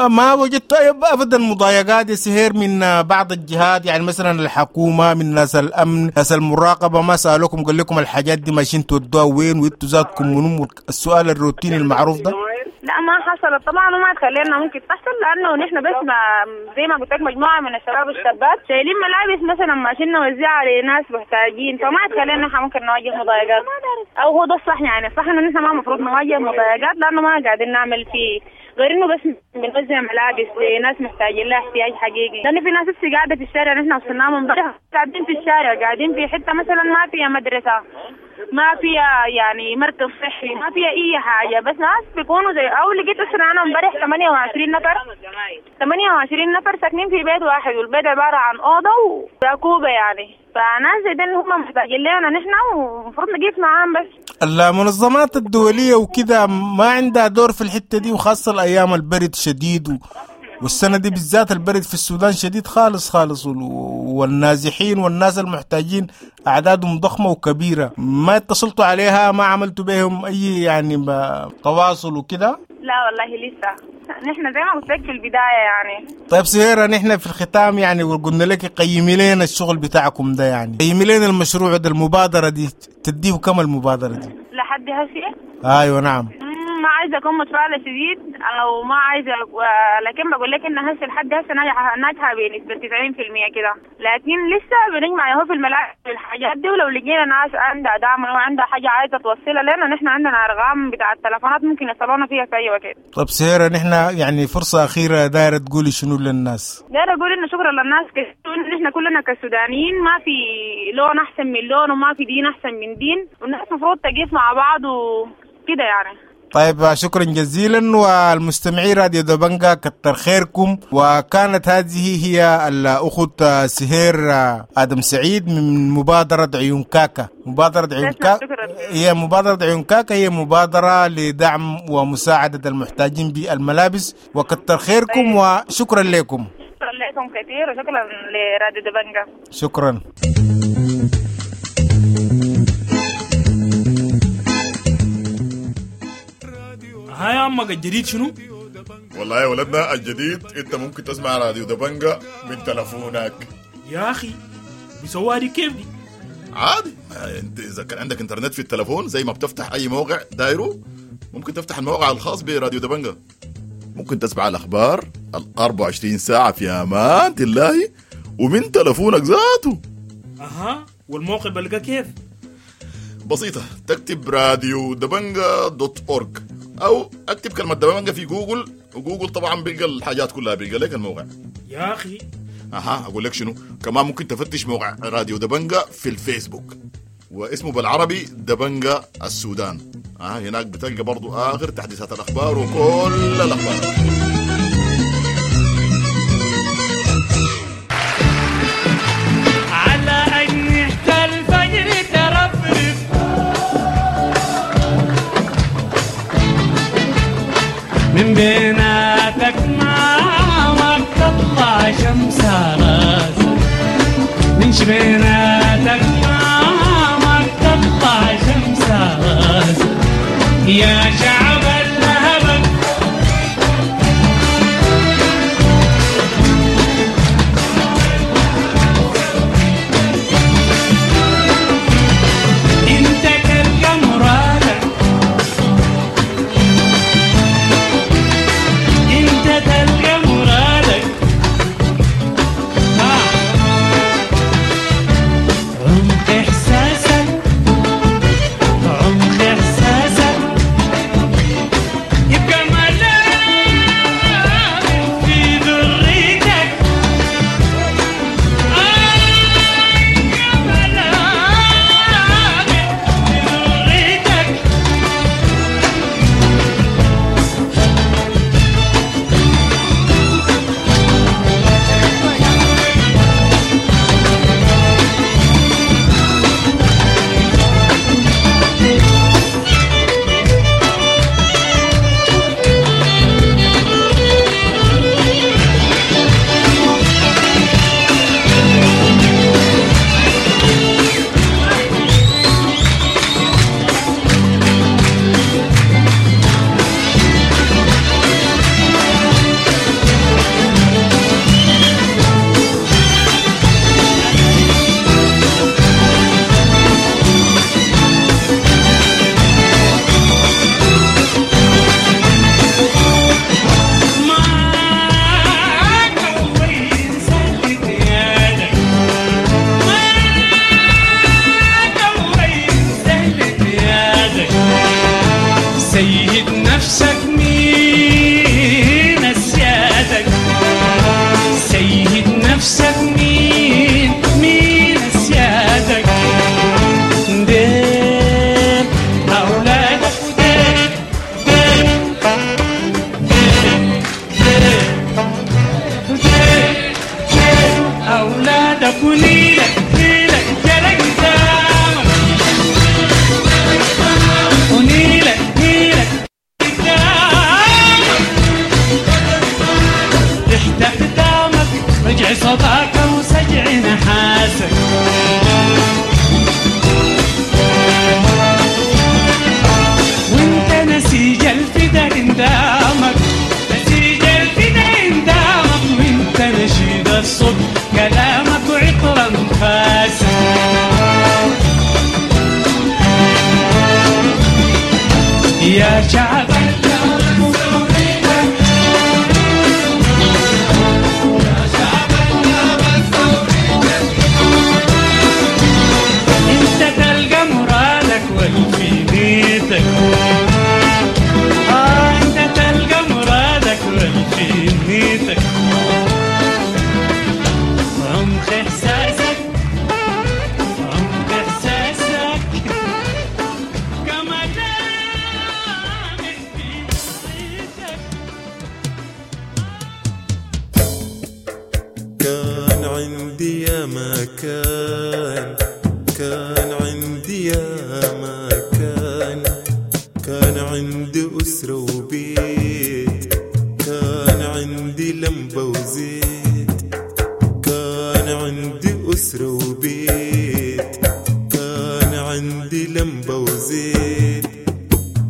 ما وجدت ابدا مضايقات يا سهير من بعض الجهات، يعني مثلا الحكومة، من ناس الامن، ناس المراقبة، ما سالوكم قال لكم الحاجات دي ماشيين تودوها وين وانتوا ذاتكم منو؟ السؤال الروتيني المعروف ده. لا ما حصلت طبعا، وما تخلينا ممكن تحصل، لانه نحن بس ما زي ما قلت لك مجموعة من الشباب والشابات شايلين ملابس مثلا ماشيين نوزعها لناس محتاجين، فما تخلينا نحن ممكن نواجه مضايقات، او هو ده الصح يعني. صح انه نحن ما المفروض نواجه مضايقات، لانه ما قاعدين نعمل فيه غير انه بس بنوزع ملابس لناس محتاجين لها احتياج حقيقي، لانه في ناس لسه قاعدة في الشارع، نحن وصلناهم امبارح قاعدين في الشارع، قاعدين في حتة مثلا ما فيها مدرسه، ما فيها يعني مركز صحي، ما فيها اي حاجة، بس ناس بيكونوا زي او لقيت اسره انا امبارح 28 نفر، 28 نفر ساكنين في بيت واحد، والبيت عبارة عن اوضة وراكوبه يعني، فناس زي ده اللي هم محتاجين لنا نحن ومفروض نقيف معاهم. بس المنظمات الدولية وكده ما عندها دور في الحتة دي، وخاصة الايام البرد شديد والسنة دي بالذات البرد في السودان شديد خالص خالص، والنازحين والناس المحتاجين أعدادهم ضخمة وكبيرة، ما اتصلتوا عليها، ما عملتوا بهم أي يعني تواصل وكده؟ لا والله لسه، نحن زي ما قلت لك في البداية يعني. طيب سهيرة، نحن في الختام يعني وقلنا لك قيمي لنا الشغل بتاعكم ده، يعني قيمي لنا المشروع ده، المبادرة دي تديه كم المبادرة دي؟ لحد هسه؟ أيوة نعم. ما عايزة أكون متفائلة شديد أو ما عايزة، لكن بقول لك إن هسه لحد هسه ناجحة بنسبة 90% كده، لكن لسه بنجمع يهو في الملاعب الحاجات دي، ولو لقينا ناس عندها دعم أو عندها حاجة عايزة توصلها لنا، نحن عندنا أرقام بتاع التلفونات ممكن يصلونا فيها في أي وقت. طب سهيرة، نحن يعني فرصة أخيرة دايرة تقولي شنو للناس؟ دايرة أقول إنه شكرا للناس، إن نحن كلنا كسودانيين ما في لون أحسن من لون، وما في دين أحسن من دين، والناس المفروض تقف مع بعض وكده يعني. طيب شكرا جزيلا، والمستمعين راديو دبنجا كتر خيركم. وكانت هذه هي الأخت سهير آدم سعيد من مبادرة عيون كاكا. مبادرة عيون كاكا هي مبادرة عيون كاكا هي مبادرة لدعم ومساعدة المحتاجين بالملابس، وكتر خيركم وشكرا لكم. شكرا لكم كثير، وشكرا لراديو دبنجا. شكرا. هاي عمك الجديد شنو؟ والله يا ولدنا الجديد انت ممكن تسمع راديو دبنجا من تلفونك. يا اخي بيسووها دي كيف دي؟ عادي، انت اذا كان عندك انترنت في التلفون زي ما بتفتح اي موقع دايرة ممكن تفتح الموقع الخاص براديو دبنجا، ممكن تسمع الاخبار ال 24 ساعة في امان الله ومن تلفونك ذاته. اها، والموقع بلقى كيف؟ بسيطة، تكتب راديو دبنجا dot org او اكتب كلمة دبنجا في جوجل، وجوجل طبعا بيلقى الحاجات كلها، بيلقى لك الموقع. يا اخي اها، اقول لك شنو كمان، ممكن تفتش موقع راديو دبنجا في الفيسبوك، واسمه بالعربي دبنجا السودان. هناك بتلقى برضو اخر تحديثات الاخبار وكل الاخبار. على أجنحة الفجر ترفرف من بيناتك ما تطلع شمس راسك، من شبيناتك ما تطلع شمس راسك يا شعب الذهب. انت تلقى مرادك، انت تلقى مرادك، عمق احساسك، عمق احساسك. كان، كان عندي يا ما كان، كان عندي أسرة وبيت، كان عندي لمبة وزيت، كان عندي أسرة وبيت، كان عندي لمبة وزيت،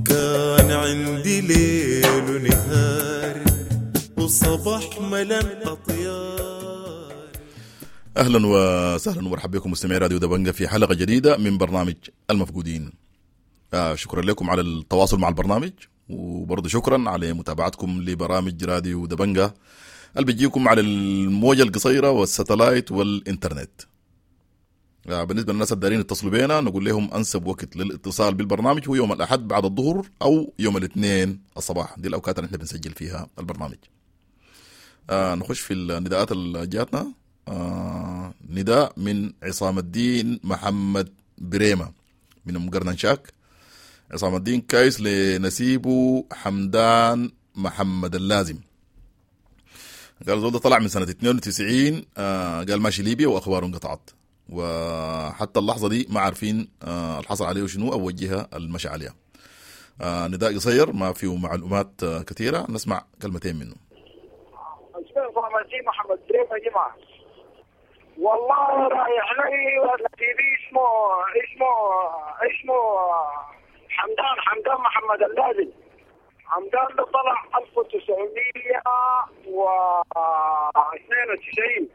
كان عندي ليل ونهار وصباح ملان أطيار. اهلا وسهلا ومرحبا بكم مستمعي راديو دبنجة في حلقة جديدة من برنامج المفقودين. شكرا لكم على التواصل مع البرنامج، وبرضه شكرا على متابعتكم لبرامج راديو دبنجة اللي بيجيكم على الموجة القصيرة والستلايت والإنترنت. بالنسبة للناس الدارين يتصلوا بينا نقول لهم أنسب وقت للاتصال بالبرنامج هو يوم الأحد بعد الظهر أو يوم الاثنين الصباح، دي الأوقات اللي احنا بنسجل فيها البرنامج. نخش في النداءات اللي جاتنا. نداء من عصام الدين محمد بريمة من أم قرنشاك. عصام الدين كايس لنسيبه حمدان محمد اللازم. قال زول ده طلع من سنة 92، قال ماشي ليبيا وأخباره انقطعت، وحتى اللحظة دي ما عارفين الحصل عليه شنو أو وجهها المشى عليها. نداء قصير ما فيه معلومات كثيرة، نسمع كلمتين منه. اسمه محمد بريمة جمعة. والله رايح لي نسيبي اسمه اسمه اسمه حمدان محمد اللازم. حمدان ده طلع 1992.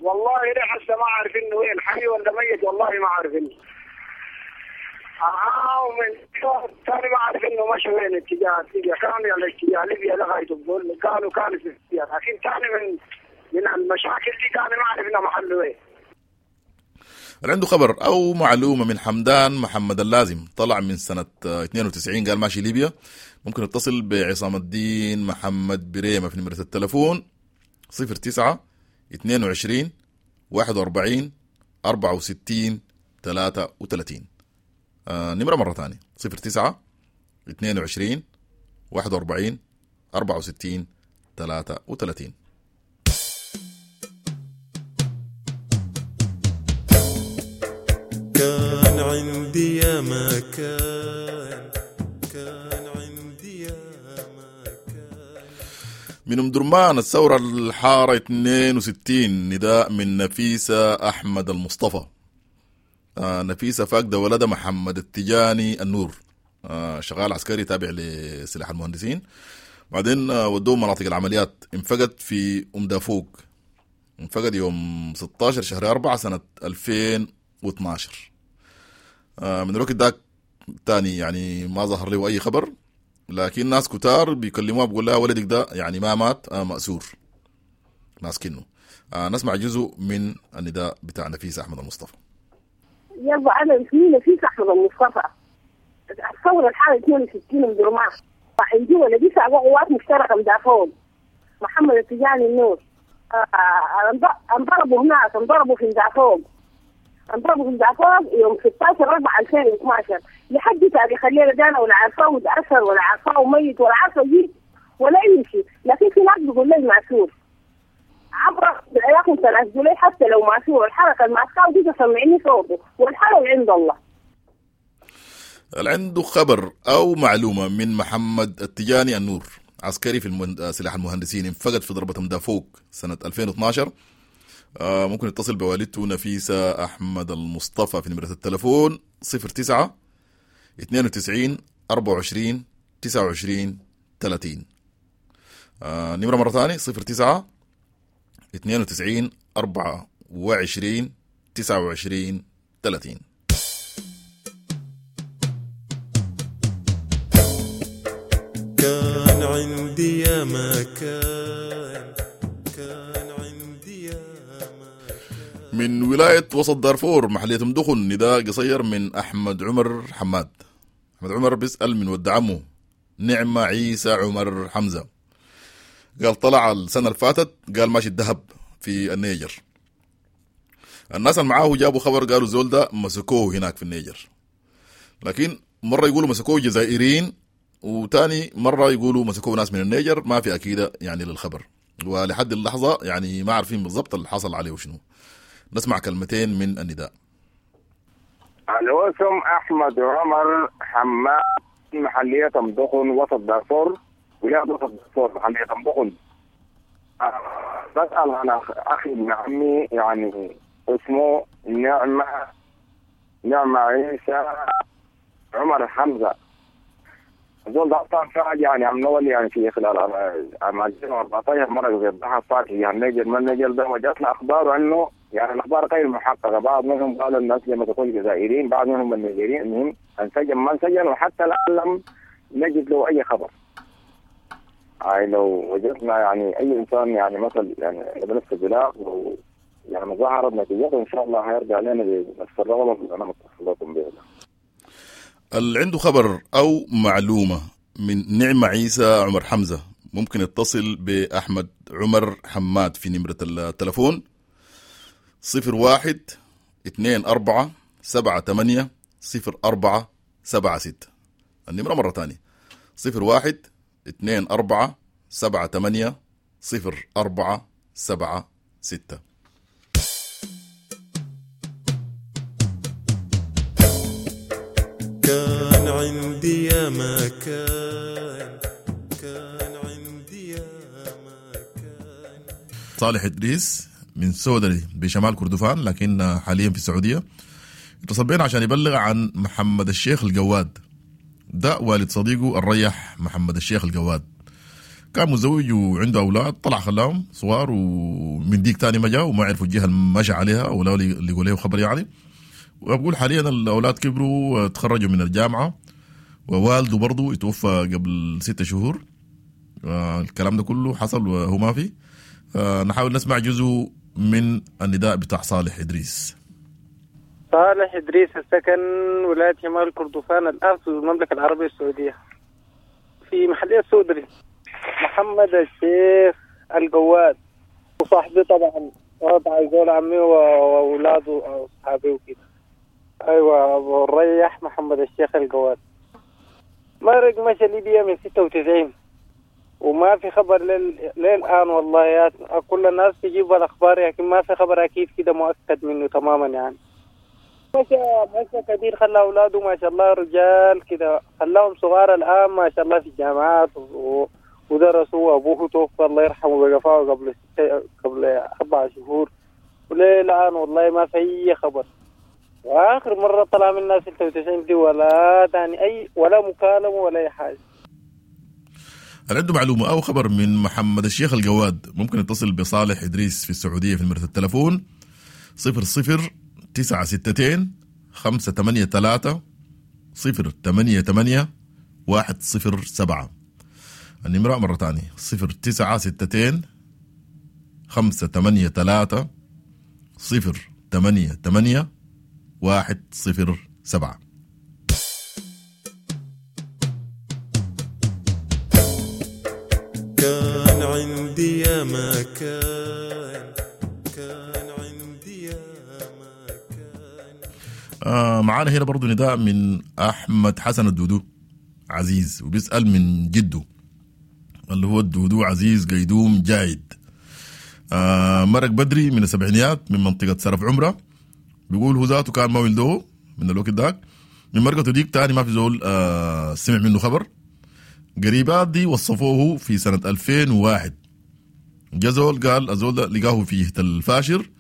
والله ليه هسه ما عارفين وين حي ولا ميت، والله ما عارفين. ومن ثاني ما عارف انه مشى وين اتجاه ليبيا، كان على اتجاه ليبيا لغاية بقول كانوا في ليبيا، لكن ثاني من المشاكل دي ثاني ما عرفنا محله وين. اللي عنده خبر او معلومة من حمدان محمد اللازم طلع من سنة 92 قال ماشي ليبيا، ممكن يتصل بعصام الدين محمد بريمه في نمره التلفون 09 22 41 64 33. نمرة مرة ثانية 09 22 41 64 33. كان عندي يا ما كان، كان عندي يا ما كان. من أم درمان الثورة الحارة 62، نداء من نفيسة أحمد المصطفى. نفيسة فاقدة ولدها محمد التجاني النور، شغال عسكري تابع لسلاح المهندسين، بعدين ودوه مناطق العمليات. انفقد في أم دافوق، انفقد يوم 16 شهر 4 سنة 2012. من الوقت داك تاني يعني ما ظهر له أي خبر، لكن ناس كتار بيكلموها بيقول لها ولدك ده يعني ما مات، مأسور ماسكينه. نسمع جزء من النداء بتاع نفيسة أحمد المصطفى. يلا أنا اسمي نفيسة أحمد المصطفى، الثورة الحالة 62 من درمان. عندي ولدي سابق قوات مشتركة مدافعون محمد التجاني النور. انضربوا هناك، انضربوا في مدافعون، انضربوا في مدافعون يوم 16/4/2012 لحد تاريخ الليلة ده أنا ولا عارفاه وتأثر ولا عارفاه وميت ولا عارفه جيت ولا أي شيء، لكن في ناس بيقول لي مأسور. عبر بالعراق 3 جنيه حتى لو مأسور، الحركة المأساة دي تسمعني صوته والحرج عند الله. اللي عنده خبر أو معلومة من محمد التجاني النور، عسكري في سلاح المهندسين، انفقد في ضربة مدافوق سنة 2012، ممكن يتصل بوالدته نفيسة أحمد المصطفى في نمرة التلفون 09 92 24 29 30. نمرة مرة ثانية 09 92 24 29 30. كان عندي يا ما كان، كان عندي يا ما كان. من ولاية وسط دارفور محلية مدخن، نداء قصير من أحمد عمر حماد. أحمد عمر بيسأل من ود عمه نعمة عيسى عمر حمزة، قال طلع السنة اللي فاتت قال ماشي الذهب في النيجر. الناس اللي معاه جابوا خبر قالوا زول ده مسكوه هناك في النيجر، لكن مرة يقولوا مسكوه جزائريين وتاني مرة يقولوا مسكوه ناس من النيجر، ما في أكيدة يعني للخبر، ولحد اللحظة يعني ما عارفين بالضبط اللي حصل عليه وشنو. نسمع كلمتين من النداء. الوسم أحمد عمر حماد، محلية أم دخن، وسط دارفور، ولاية وسط دارفور، محلية أم دخن. بسأل عن أخي ابن عمي، يعني اسمه نعمة عيسى عمر حمزة. زول ده أصلا فعل يعني عم نول يعني في خلال عام 2014 مرة زي الضحى فات يعني نجل ما نجل ده، وجاتنا أخبار عنه يعني الأخبار غير محققة. بعض منهم قالوا الناس لما تكون جزائريين، بعض منهم النيجيريين. المهم انسجن ما انسجن، وحتى الآن لم نجد له أي خبر. هاي لو وجدنا يعني أي إنسان يعني مثل يعني بنفس البلاغ و يعني ظهرت نتيجته إن شاء الله هيرجع لنا بنفس الرغبة اللي أنا متصل لكم بها. اللي عنده خبر أو معلومة من نعمة عيسى عمر حمزة ممكن يتصل بأحمد عمر حماد في نمرة التلفون 01 24 78 04 76. النمرة مرة تانية 01 24 78 04 76. كان عندي يا ما كان، كان عندي يا ما كان. صالح إدريس من سودري بشمال كردفان لكن حاليا في السعودية، اتصل بينا عشان يبلغ عن محمد الشيخ الجواد. ده والد صديقه الريح محمد الشيخ الجواد، كان متزوج وعنده أولاد، طلع خلاهم صغار ومن ديك تاني ما جاء وما عرفوا الجهة اللي مشى عليها ولا لقوا له خبر يعني. وبقول حاليا الأولاد كبروا وتخرجوا من الجامعة، ووالده برضو اتوفى قبل 6 شهور. الكلام ده كله حصل وهو ما في. نحاول نسمع جزء من النداء بتاع صالح إدريس. صالح إدريس السكن ولاية شمال كردفان الآن في المملكة العربية السعودية في محلية سودري. محمد الشيخ الجواد وصاحبي طبعا، وضع زول عمي وأولاده وأصحابي وكده. أيوة أبو الريح محمد الشيخ الجواد مرق مشى ليبيا من 96 وما في خبر للآن والله. يا كل الناس تجيب الأخبار لكن ما في خبر أكيد كده مؤكد منه تماما يعني. مشى كبير، خلى أولاده ما شاء الله رجال كده، خلاهم صغار الآن ما شاء الله في الجامعات ودرسوا. أبوه توفى الله يرحمه بقفاه قبل 4 شهور، وللآن والله ما في أي خبر. وآخر مرة طلع منا 96 دي ولا تاني أي ولا مكالمة ولا أي حاجة. هل عنده معلومة أو خبر من محمد الشيخ الجواد ممكن يتصل بصالح إدريس في السعودية في نمرة التلفون 00 962 583 088 107. النمرة مرة تانية 0962 583 088 107. كان عندي يا ما كان، كان عندي يا ما كان. معانا هنا برضو نداء من أحمد حسن الدودو عزيز، وبيسأل من جده اللي هو الدودو عزيز قيدوم جايد. مرق بدري من السبعينيات من منطقة سرف عمرة، بيقول هو ذاته كان ما ولده من الوقت داك، من مرقته ديك تاني ما في زول سمع منه خبر. قريبات دي وصفوه في سنة 2001، جزول قال الزول ده لقاه في الفاشر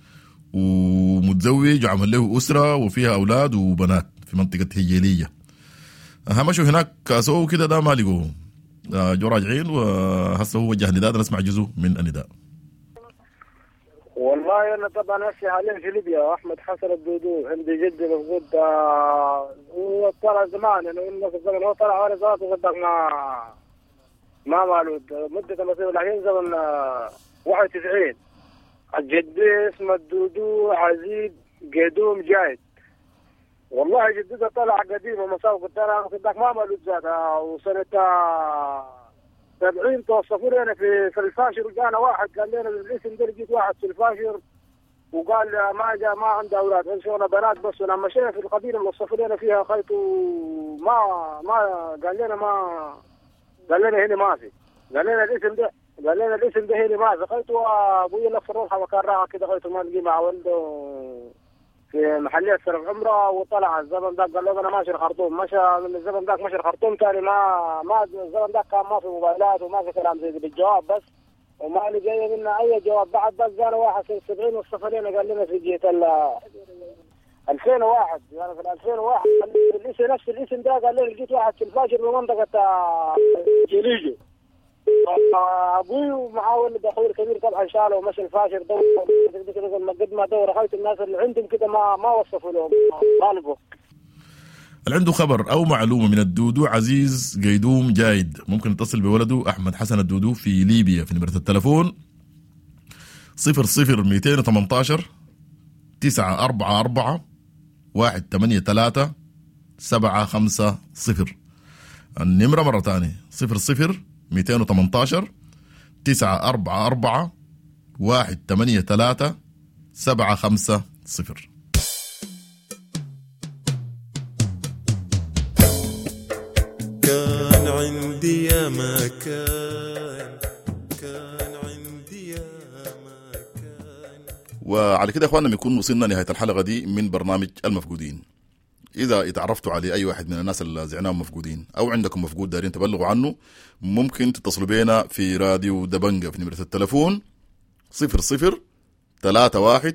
ومتزوج وعمل له أسرة وفيها أولاد وبنات في منطقة هجيلية. مشوا هناك كاسوه كده ده ما لقوه، جو راجعين وهسه هو وجه نداء. نسمع جزء من النداء. والله أنا طبعا هسه حاليا في ليبيا. أحمد حسن الدودو عندي جدي مفقود، هو طلع زمان يعني قلنا في الزمن هو طلع وانا ذاته صدق ما مالود مدة المصير الحين زمن 91. جدي اسمه الدودو عزيز قدوم جايد. والله جدته طلع قديم ومساوق طلع صدق ما مالود ذاتها، وسنة 70 توصفوا لنا في الفاشر، وجانا واحد قال لنا بالاسم ده لقيت واحد في الفاشر وقال ما جاء ما عنده اولاد عنده شغله بنات بس. ولما مشينا في القبيله اللي وصفوا لنا فيها خيط ما ما قال لنا ما قال لنا هنا ما في، قال لنا الاسم ده، قال لنا الاسم ده هنا ما في. خيط ابوي لف الروحه وكان راعى كده خيط ما لقي مع ولده في محلية سرف عمرة، وطلع الزمن ذاك قال له أنا ماشي الخرطوم، مشى من الزمن ذاك مشى الخرطوم ثاني ما الزمن ذاك كان ما في موبايلات وما في كلام زي بالجواب بس، وما لقينا منا أي جواب بعد. بس قال واحد سنة 70 والسفرين قال لنا في جهة 2001، يعني في 2001 الاسم نفس الاسم ده قال لنا لقيت واحد في الفاجر بمنطقة جليجو. ابوي ومعاه ولد اخوي الكبير طبعا شالوا ومشى الفاشر دور قد ما دور خلت الناس اللي عندهم كده ما وصفوا لهم طالبوا. اللي عنده خبر او معلومه من الدودو عزيز قيدوم جايد ممكن يتصل بولده احمد حسن الدودو في ليبيا في نمره التلفون 00218 944 183 750. النمره مره ثانيه 00218 944 183 750. كان عندي يا ما كان، كان عندي يا ما كان. وعلى كده يا اخواننا بنكون وصلنا نهاية الحلقة دي من برنامج المفقودين. إذا اتعرفتوا على أي واحد من الناس اللي زعناهم مفقودين أو عندكم مفقود دارين تبلغوا عنه، ممكن تتصلوا بينا في راديو دبنجة في نمرة التلفون 00 31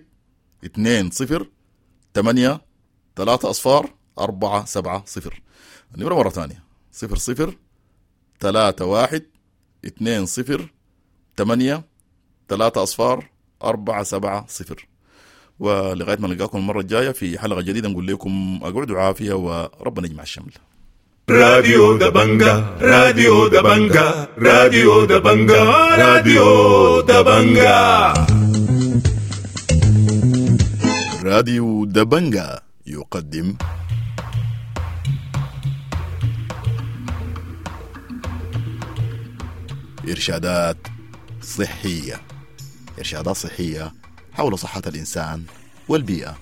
20 8 3 0 4 7 0. النمرة مرة ثانية 00 31 20 8 3 0 4 7 0. ولغاية ما نلقاكم المرة الجاية في حلقة جديدة نقول لكم أقعدوا عافية وربنا يجمع الشمل. راديو دبنجة، راديو دبنجة، راديو دبنجة، راديو دبنجة. راديو دبنجة يقدم إرشادات صحية، إرشادات صحية حول صحة الإنسان والبيئة.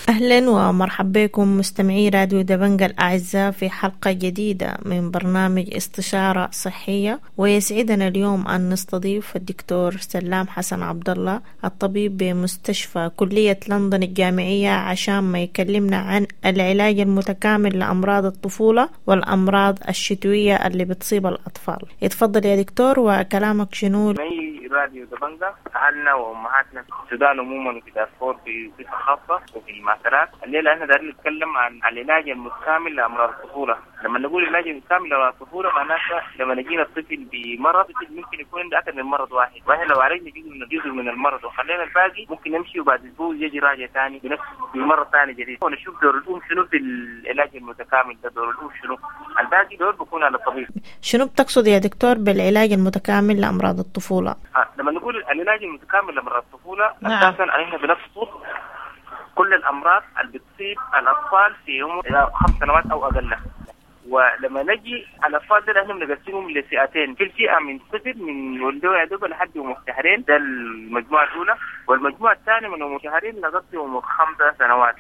أهلا ومرحبا بكم مستمعي راديو دبنجة الأعزاء في حلقة جديدة من برنامج استشارة صحية، ويسعدنا اليوم أن نستضيف الدكتور سلام حسن عبد الله الطبيب بمستشفى كلية لندن الجامعية عشان ما يكلمنا عن العلاج المتكامل لأمراض الطفولة والأمراض الشتوية اللي بتصيب الأطفال. اتفضل يا دكتور، وكلامك شنو؟ راديو دبنجة أهلنا وأمهاتنا في السودان عموما وفي دارفور بصفة خاصة وفي المعسكرات. الليلة احنا دايرين نتكلم عن العلاج المتكامل لأمراض الطفولة. لما نقول العلاج المتكامل لأمراض الطفولة معناتها لما نجينا الطفل بمرض، الطفل ممكن يكون عنده أكثر من مرض واحد، واحنا لو عالجنا جزء من المرض وخلينا الباقي ممكن نمشي وبعد أسبوع يجي راجع ثاني بنفس بمرض ثاني جديد. ونشوف دور الأم شنو في العلاج المتكامل ده، دور الأم شنو، الباقي دور بيكون على الطبيب. شنو بتقصد يا دكتور بالعلاج المتكامل لأمراض الطفولة؟ لما نقول العلاج المتكامل لأمراض الطفولة، نعم، أساساً احنا بنقصد كل الأمراض اللي بتصيب الأطفال في عمر 5 سنوات أو أقل. ولما نجي على الأطفال ده احنا بنقسمهم لفئتين، في الفئة من صفر من ولدوا يا دوب لحد عمر شهرين، ده المجموعة الأولى، والمجموعة الثانية من عمر شهرين لغاية عمر 5 سنوات.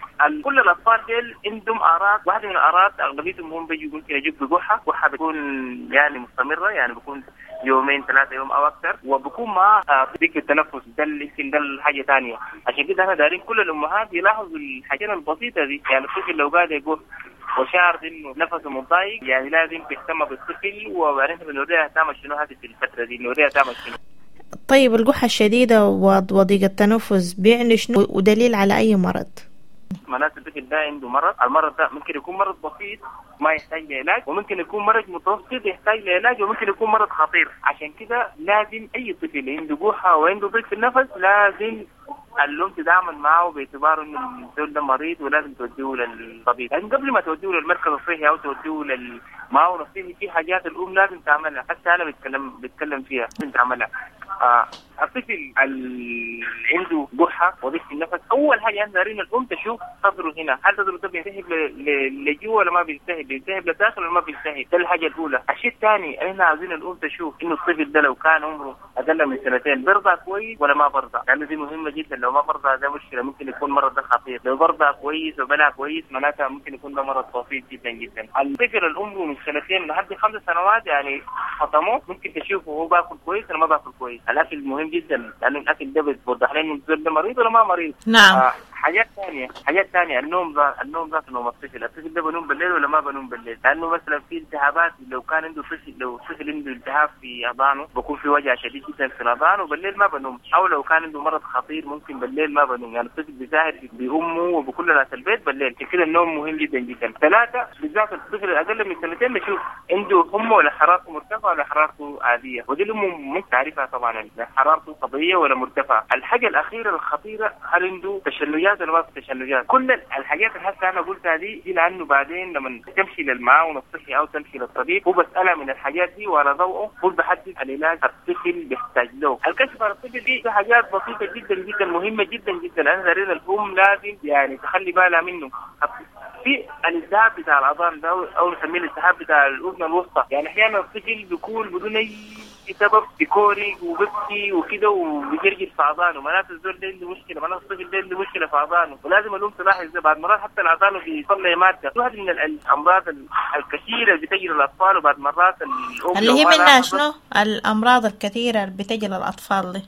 كل الأطفال ديل عندهم أعراض، واحدة من الأعراض أغلبيتهم هم بيجوا ممكن يجوا بقحة، قحة بتكون يعني مستمرة، يعني بيكون يومين 3 يوم أو أكثر، وبكون معاه ضيق التنفس، ده يمكن ده الحاجة ثانية. عشان كده احنا دارين كل الأمهات يلاحظوا الحاجات البسيطة دي، يعني الطفل لو قاعد يقول وشعر انه نفسه متضايق يعني لازم تهتم بالطفل، وبعدين بنوريها تعمل شنو هذه في الفتره دي، نوريها تعمل شنو. طيب القحه الشديده وضيق التنفس بيعني شنو ودليل على اي مرض؟ معناته الطفل ده عنده مرض، المرض ده ممكن يكون مرض بسيط ما يحتاج لعلاج، وممكن يكون مرض متوسط يحتاج لعلاج، وممكن يكون مرض خطير. عشان كده لازم اي طفل عنده قحه وعنده ضيق في النفس لازم الأم تتعامل معه باعتباره انه الزول ده مريض ولازم توديه للطبيب. لكن قبل ما توديه للمركز الصحي او توديه للمعاون الصحي في حاجات الام لازم تعملها، حتى انا بتكلم فيها لازم تعملها. الطفل اللي عنده قحه وضيق في النفس، اول حاجه احنا دارين الام تشوف صدره هنا، هل صدره ده بيلتهب لجوا ولا ما بيلتهب، بيلتهب لداخل ولا ما بيلتهب، ده الحاجه الاولى. الشيء الثاني احنا عاوزين الام تشوف انه الطفل ده لو كان عمره اقل من 2 سنين بيرضع كويس ولا ما برضع، لانه دي مهمه جدا. لو ما برضع ده مشكلة، ممكن يكون مرض ده خطير. لو برضع كويس وبلع كويس معناتها ممكن يكون ده مرض بسيط جدا جدا. الطفل العمر من سنتين لحد 5 سنوات يعني فطموه ممكن تشوفه هو باكل كويس ولا ما باكل كويس. الاكل مهم جدا لانه الاكل ده بيوضح لنا الزول ده مريض ولا ما مريض. نعم. حاجات ثانية، النوم ذات نوم الطفل، الطفل ده بنوم بالليل ولا ما بنوم بالليل؟ لانه مثلا في التهابات، لو كان عنده طفل، لو طفل عنده التهاب في اذانه بكون في وجع شديد جدا في الاذان وبالليل ما بنوم، او لو كان عنده مرض خطير ممكن بالليل ما بنوم، يعني الطفل بيساهر بامه وبكل ناس البيت بالليل. كده النوم مهم جدا جدا. 3 بالذات الطفل الاقل من سنتين نشوف عنده حمى ولا حرارته مرتفعة ولا حرارته عادية، ودي الام ممكن تعرفها طبعا، حرارته طبيعية ولا مرتفعة. الحاجة الاخيرة الخطيرة، هل عنده تشنجات ولا ما في تشنجات؟ كل الحاجات اللي هسه انا قلتها دي لانه بعدين لما تمشي للمعاون الصحي او تمشي للطبيب هو بسالها من الحاجات دي وعلى ضوءه هو بحدد العلاج الطفل بيحتاج له. الكشف على الطفل دي حاجات بسيطة جدا جدا مهمة جدا جدا، انا دارين الام لازم يعني تخلي بالها منه. في الالتهاب بتاع الاذان ده او نسميه الالتهاب بتاع الاذن الوسطى، يعني احيانا الطفل بيكون بدون اي سبب بيكوري وبيبكي وكده وبيجرجر في اذانه، معناته الزول ده عنده مشكلة، معناته الطفل ده عنده مشكلة في اذانه، ولازم الام تلاحظ ده. بعد مرات حتى الاذان بيطلع مادة، واحد من الامراض الكثيرة اللي بتجي للاطفال، وبعد مرات الام اللي هي منها شنو الامراض الكثيرة اللي بتجي للاطفال دي؟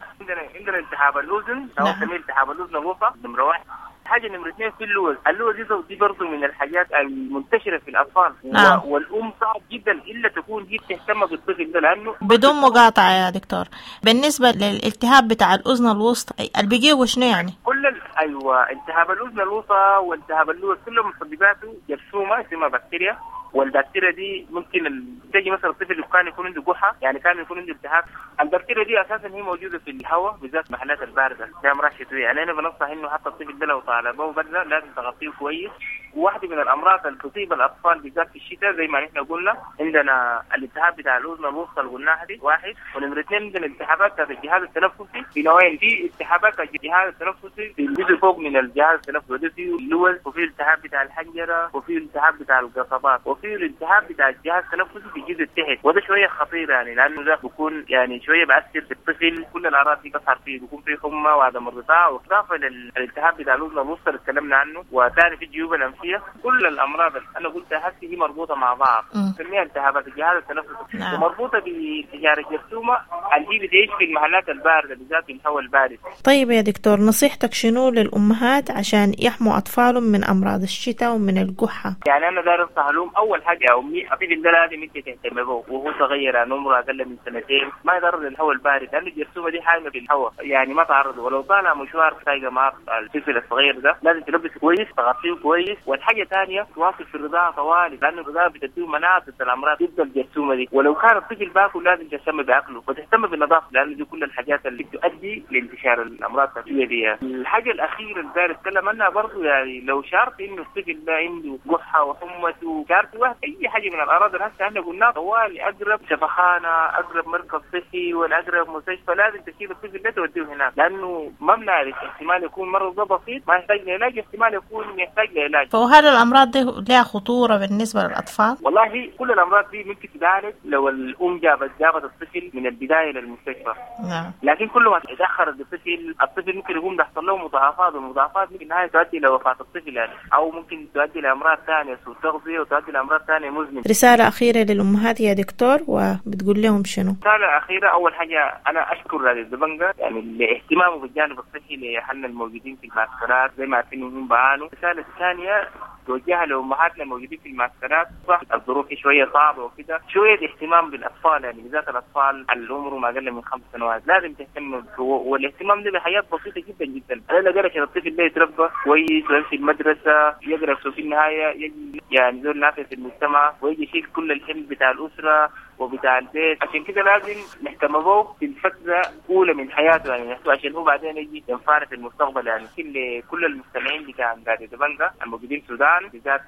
عندنا التهاب الاذن او نسميه التهاب الاذن الوسطى نمره 1. حاجة نمره 2 في اللوز، اللوز دي برضه من الحاجات المنتشرة في الاطفال. نعم. والام صعب جدا الا تكون هي بتهتم بالطفل ده لانه بدون مقاطعه يا دكتور. بالنسبة للالتهاب بتاع الاذن الوسطى اللي بيجيه شنو يعني؟ كل ايوه التهاب الاذن الوسطى والتهاب اللوز كلهم مسبباته جرثومة اسمها بكتيريا، والبكتيريا دي ممكن تجي مثلا الطفل كان يكون عنده كحه، يعني كان يكون عنده التهاب. البكتيريا دي اساسا هي موجودة في الهواء بالذات المحلات البارده زي امراض شتوية، يعني انا بنصح انه حتى الطفل ده لو طالبه برده لازم تغطيه كويس. وواحدة من الامراض اللي تصيب الاطفال بالذات في الشتاء زي ما نحن قلنا عندنا الالتهاب بتاع الاذن الوسطى اللي قلناها دي واحد، ونمره 2 عندنا الالتهابات بتاعت الجهاز التنفسي في نوعين، في التهابات الجهاز التنفسي في الجزء فوق من الجهاز التنفسي وده فيه اللوز، وفي التهاب بتاع الحنجرة، وفي التهاب بتاع القصبات، وفي الالتهاب بتاع الجهاز التنفسي في الجزء التحت، وده شوية خطير يعني لانه ده بيكون يعني شوية بأثر في الطفل، كل الاعراض دي بتظهر فيه، بيكون فيه حمى وعدم الرضاعة، واضافه للالتهاب بتاع الاذن الوسطى اللي اتكلمنا عنه، وثاني في الجيوب الانفيه. كل الامراض اللي انا قلتها هسه هي مربوطة مع بعض، نسميها التهابات الجهاز التنفسي. نعم. ومربوطه بانتشار الجرثومه اللي بتعيش في المحلات البارده بالذات في الهواء البارد. طيب يا دكتور، نصيحتك شنو للامهات عشان يحموا اطفالهم من امراض الشتاء ومن القحه؟ يعني انا داير انصح لهم اول حاجة يا امي، الطفل ده لازم انت تهتم به وهو صغير، يعني عمره اقل من سنتين، ما يتعرض للهواء البارد لانه الجرثومه دي حامية في الهواء، يعني ما تعرض، ولو طالع مشوار سايقه مع الطفل الصغير ده لازم تلبسه كويس، تغطيه كويس. والحاجة ثانية تواصل في الرضاعة طوالي لانه الرضاعة بتديه مناعة ضد الامراض ضد الجرثومه دي، ولو كان الطفل باكل لازم تهتم باكله وتهتم بالنظافة لانه دي كل الحاجات اللي بتؤدي لانتشار الامراض التنفسية دي. الحاجة الاخيرة اللي داير اتكلم عنها برضه، يعني لو شعرت انه الطفل ده عنده قحه وحمته، شعرت واحد اي حاجة من الاعراض اللي هسه احنا قلناها طوالي، اقرب شفخانه، اقرب مركز صحي، ولا اقرب مستشفى، لازم تشيل الطفل ده توديه هناك لانه ما بنعرف احتمال يكون مرض ده بسيط ما يحتاج لعلاج، احتمال يكون يحتاج لعلاج. فهل الأمراض دي لها خطورة بالنسبة للأطفال؟ والله كل الأمراض دي ممكن تتعالج لو الأم جابت الطفل من البداية للمستشفى. نعم. لكن كل ما تأخر الطفل ممكن يكون بيحصل له مضاعفات، والمضاعفات ممكن النهاية تؤدي إلى وفاة الطفل يعني، أو ممكن تؤدي لأمراض ثانية سوء تغذية وتؤدي لأمراض ثانية مزمنة. رسالة أخيرة للأمهات يا دكتور وبتقول لهم شنو؟ رسالة أخيرة، أول حاجة أنا أشكر راديو دبنجا يعني لاهتمامه بالجانب الصحي لأهلنا الموجودين في المعسكرات زي ما عارفين إنهم بعانوا. الرسالة الثانية توجهها لأمهاتنا الموجودين في المعسكرات، صح الظروف شوية صعبة وكده، شوية اهتمام بالأطفال يعني بالذات الأطفال اللي عمرهم أقل من 5 سنوات لازم تهتم، والاهتمام ده بحاجات بسيطة جدا جدا. أنا قالك عشان الطفل ده يتربى كويس ويمشي المدرسة يقرأ في النهاية يجي يعني زول نافع في المجتمع ويجي يشيل كل الحمل بتاع الأسرة وبتاع البيت، عشان كده لازم نهتم به في الفترة الأولى من حياته يعني عشان هو بعدين يجي ينفعنا في المستقبل. يعني كل المستمعين بتاع راديو دبنجا الموجودين في السودان بالذات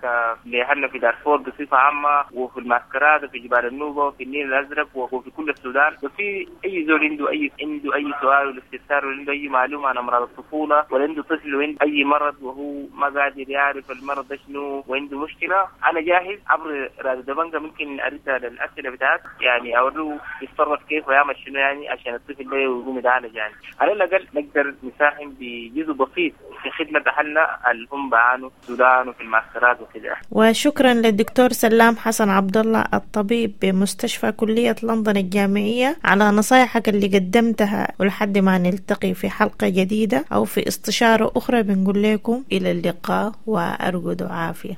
لأهلنا في دارفور بصفة عامة وفي المعسكرات وفي جبال النوبة وفي النيل الأزرق وفي كل السودان، وفي أي زول عنده أي سؤال ولا استفسار ولا عنده أي معلومة عن أمراض الطفولة ولا عنده طفل وعنده أي مرض وهو ما قادر يعرف المرض ده شنو وعنده مشكلة، أنا جاهز عبر راديو دبنجا ممكن أرد على الأسئلة بتاعتكم الإرشادات، يعني اوريه يتصرف كيف ويعمل شنو يعني عشان الطفل ده يقوم يتعالج. يعني على الاقل نقدر نساهم بجزء بسيط في خدمة اهلنا اللي هم بعانوا في السودان وفي المعسكرات وكده. وشكرا للدكتور سلام حسن عبد الله الطبيب بمستشفى كلية لندن الجامعية على نصايحك اللي قدمتها، ولحد ما نلتقي في حلقة جديدة أو في استشارة أخرى بنقول لكم إلى اللقاء وأرجو عافية.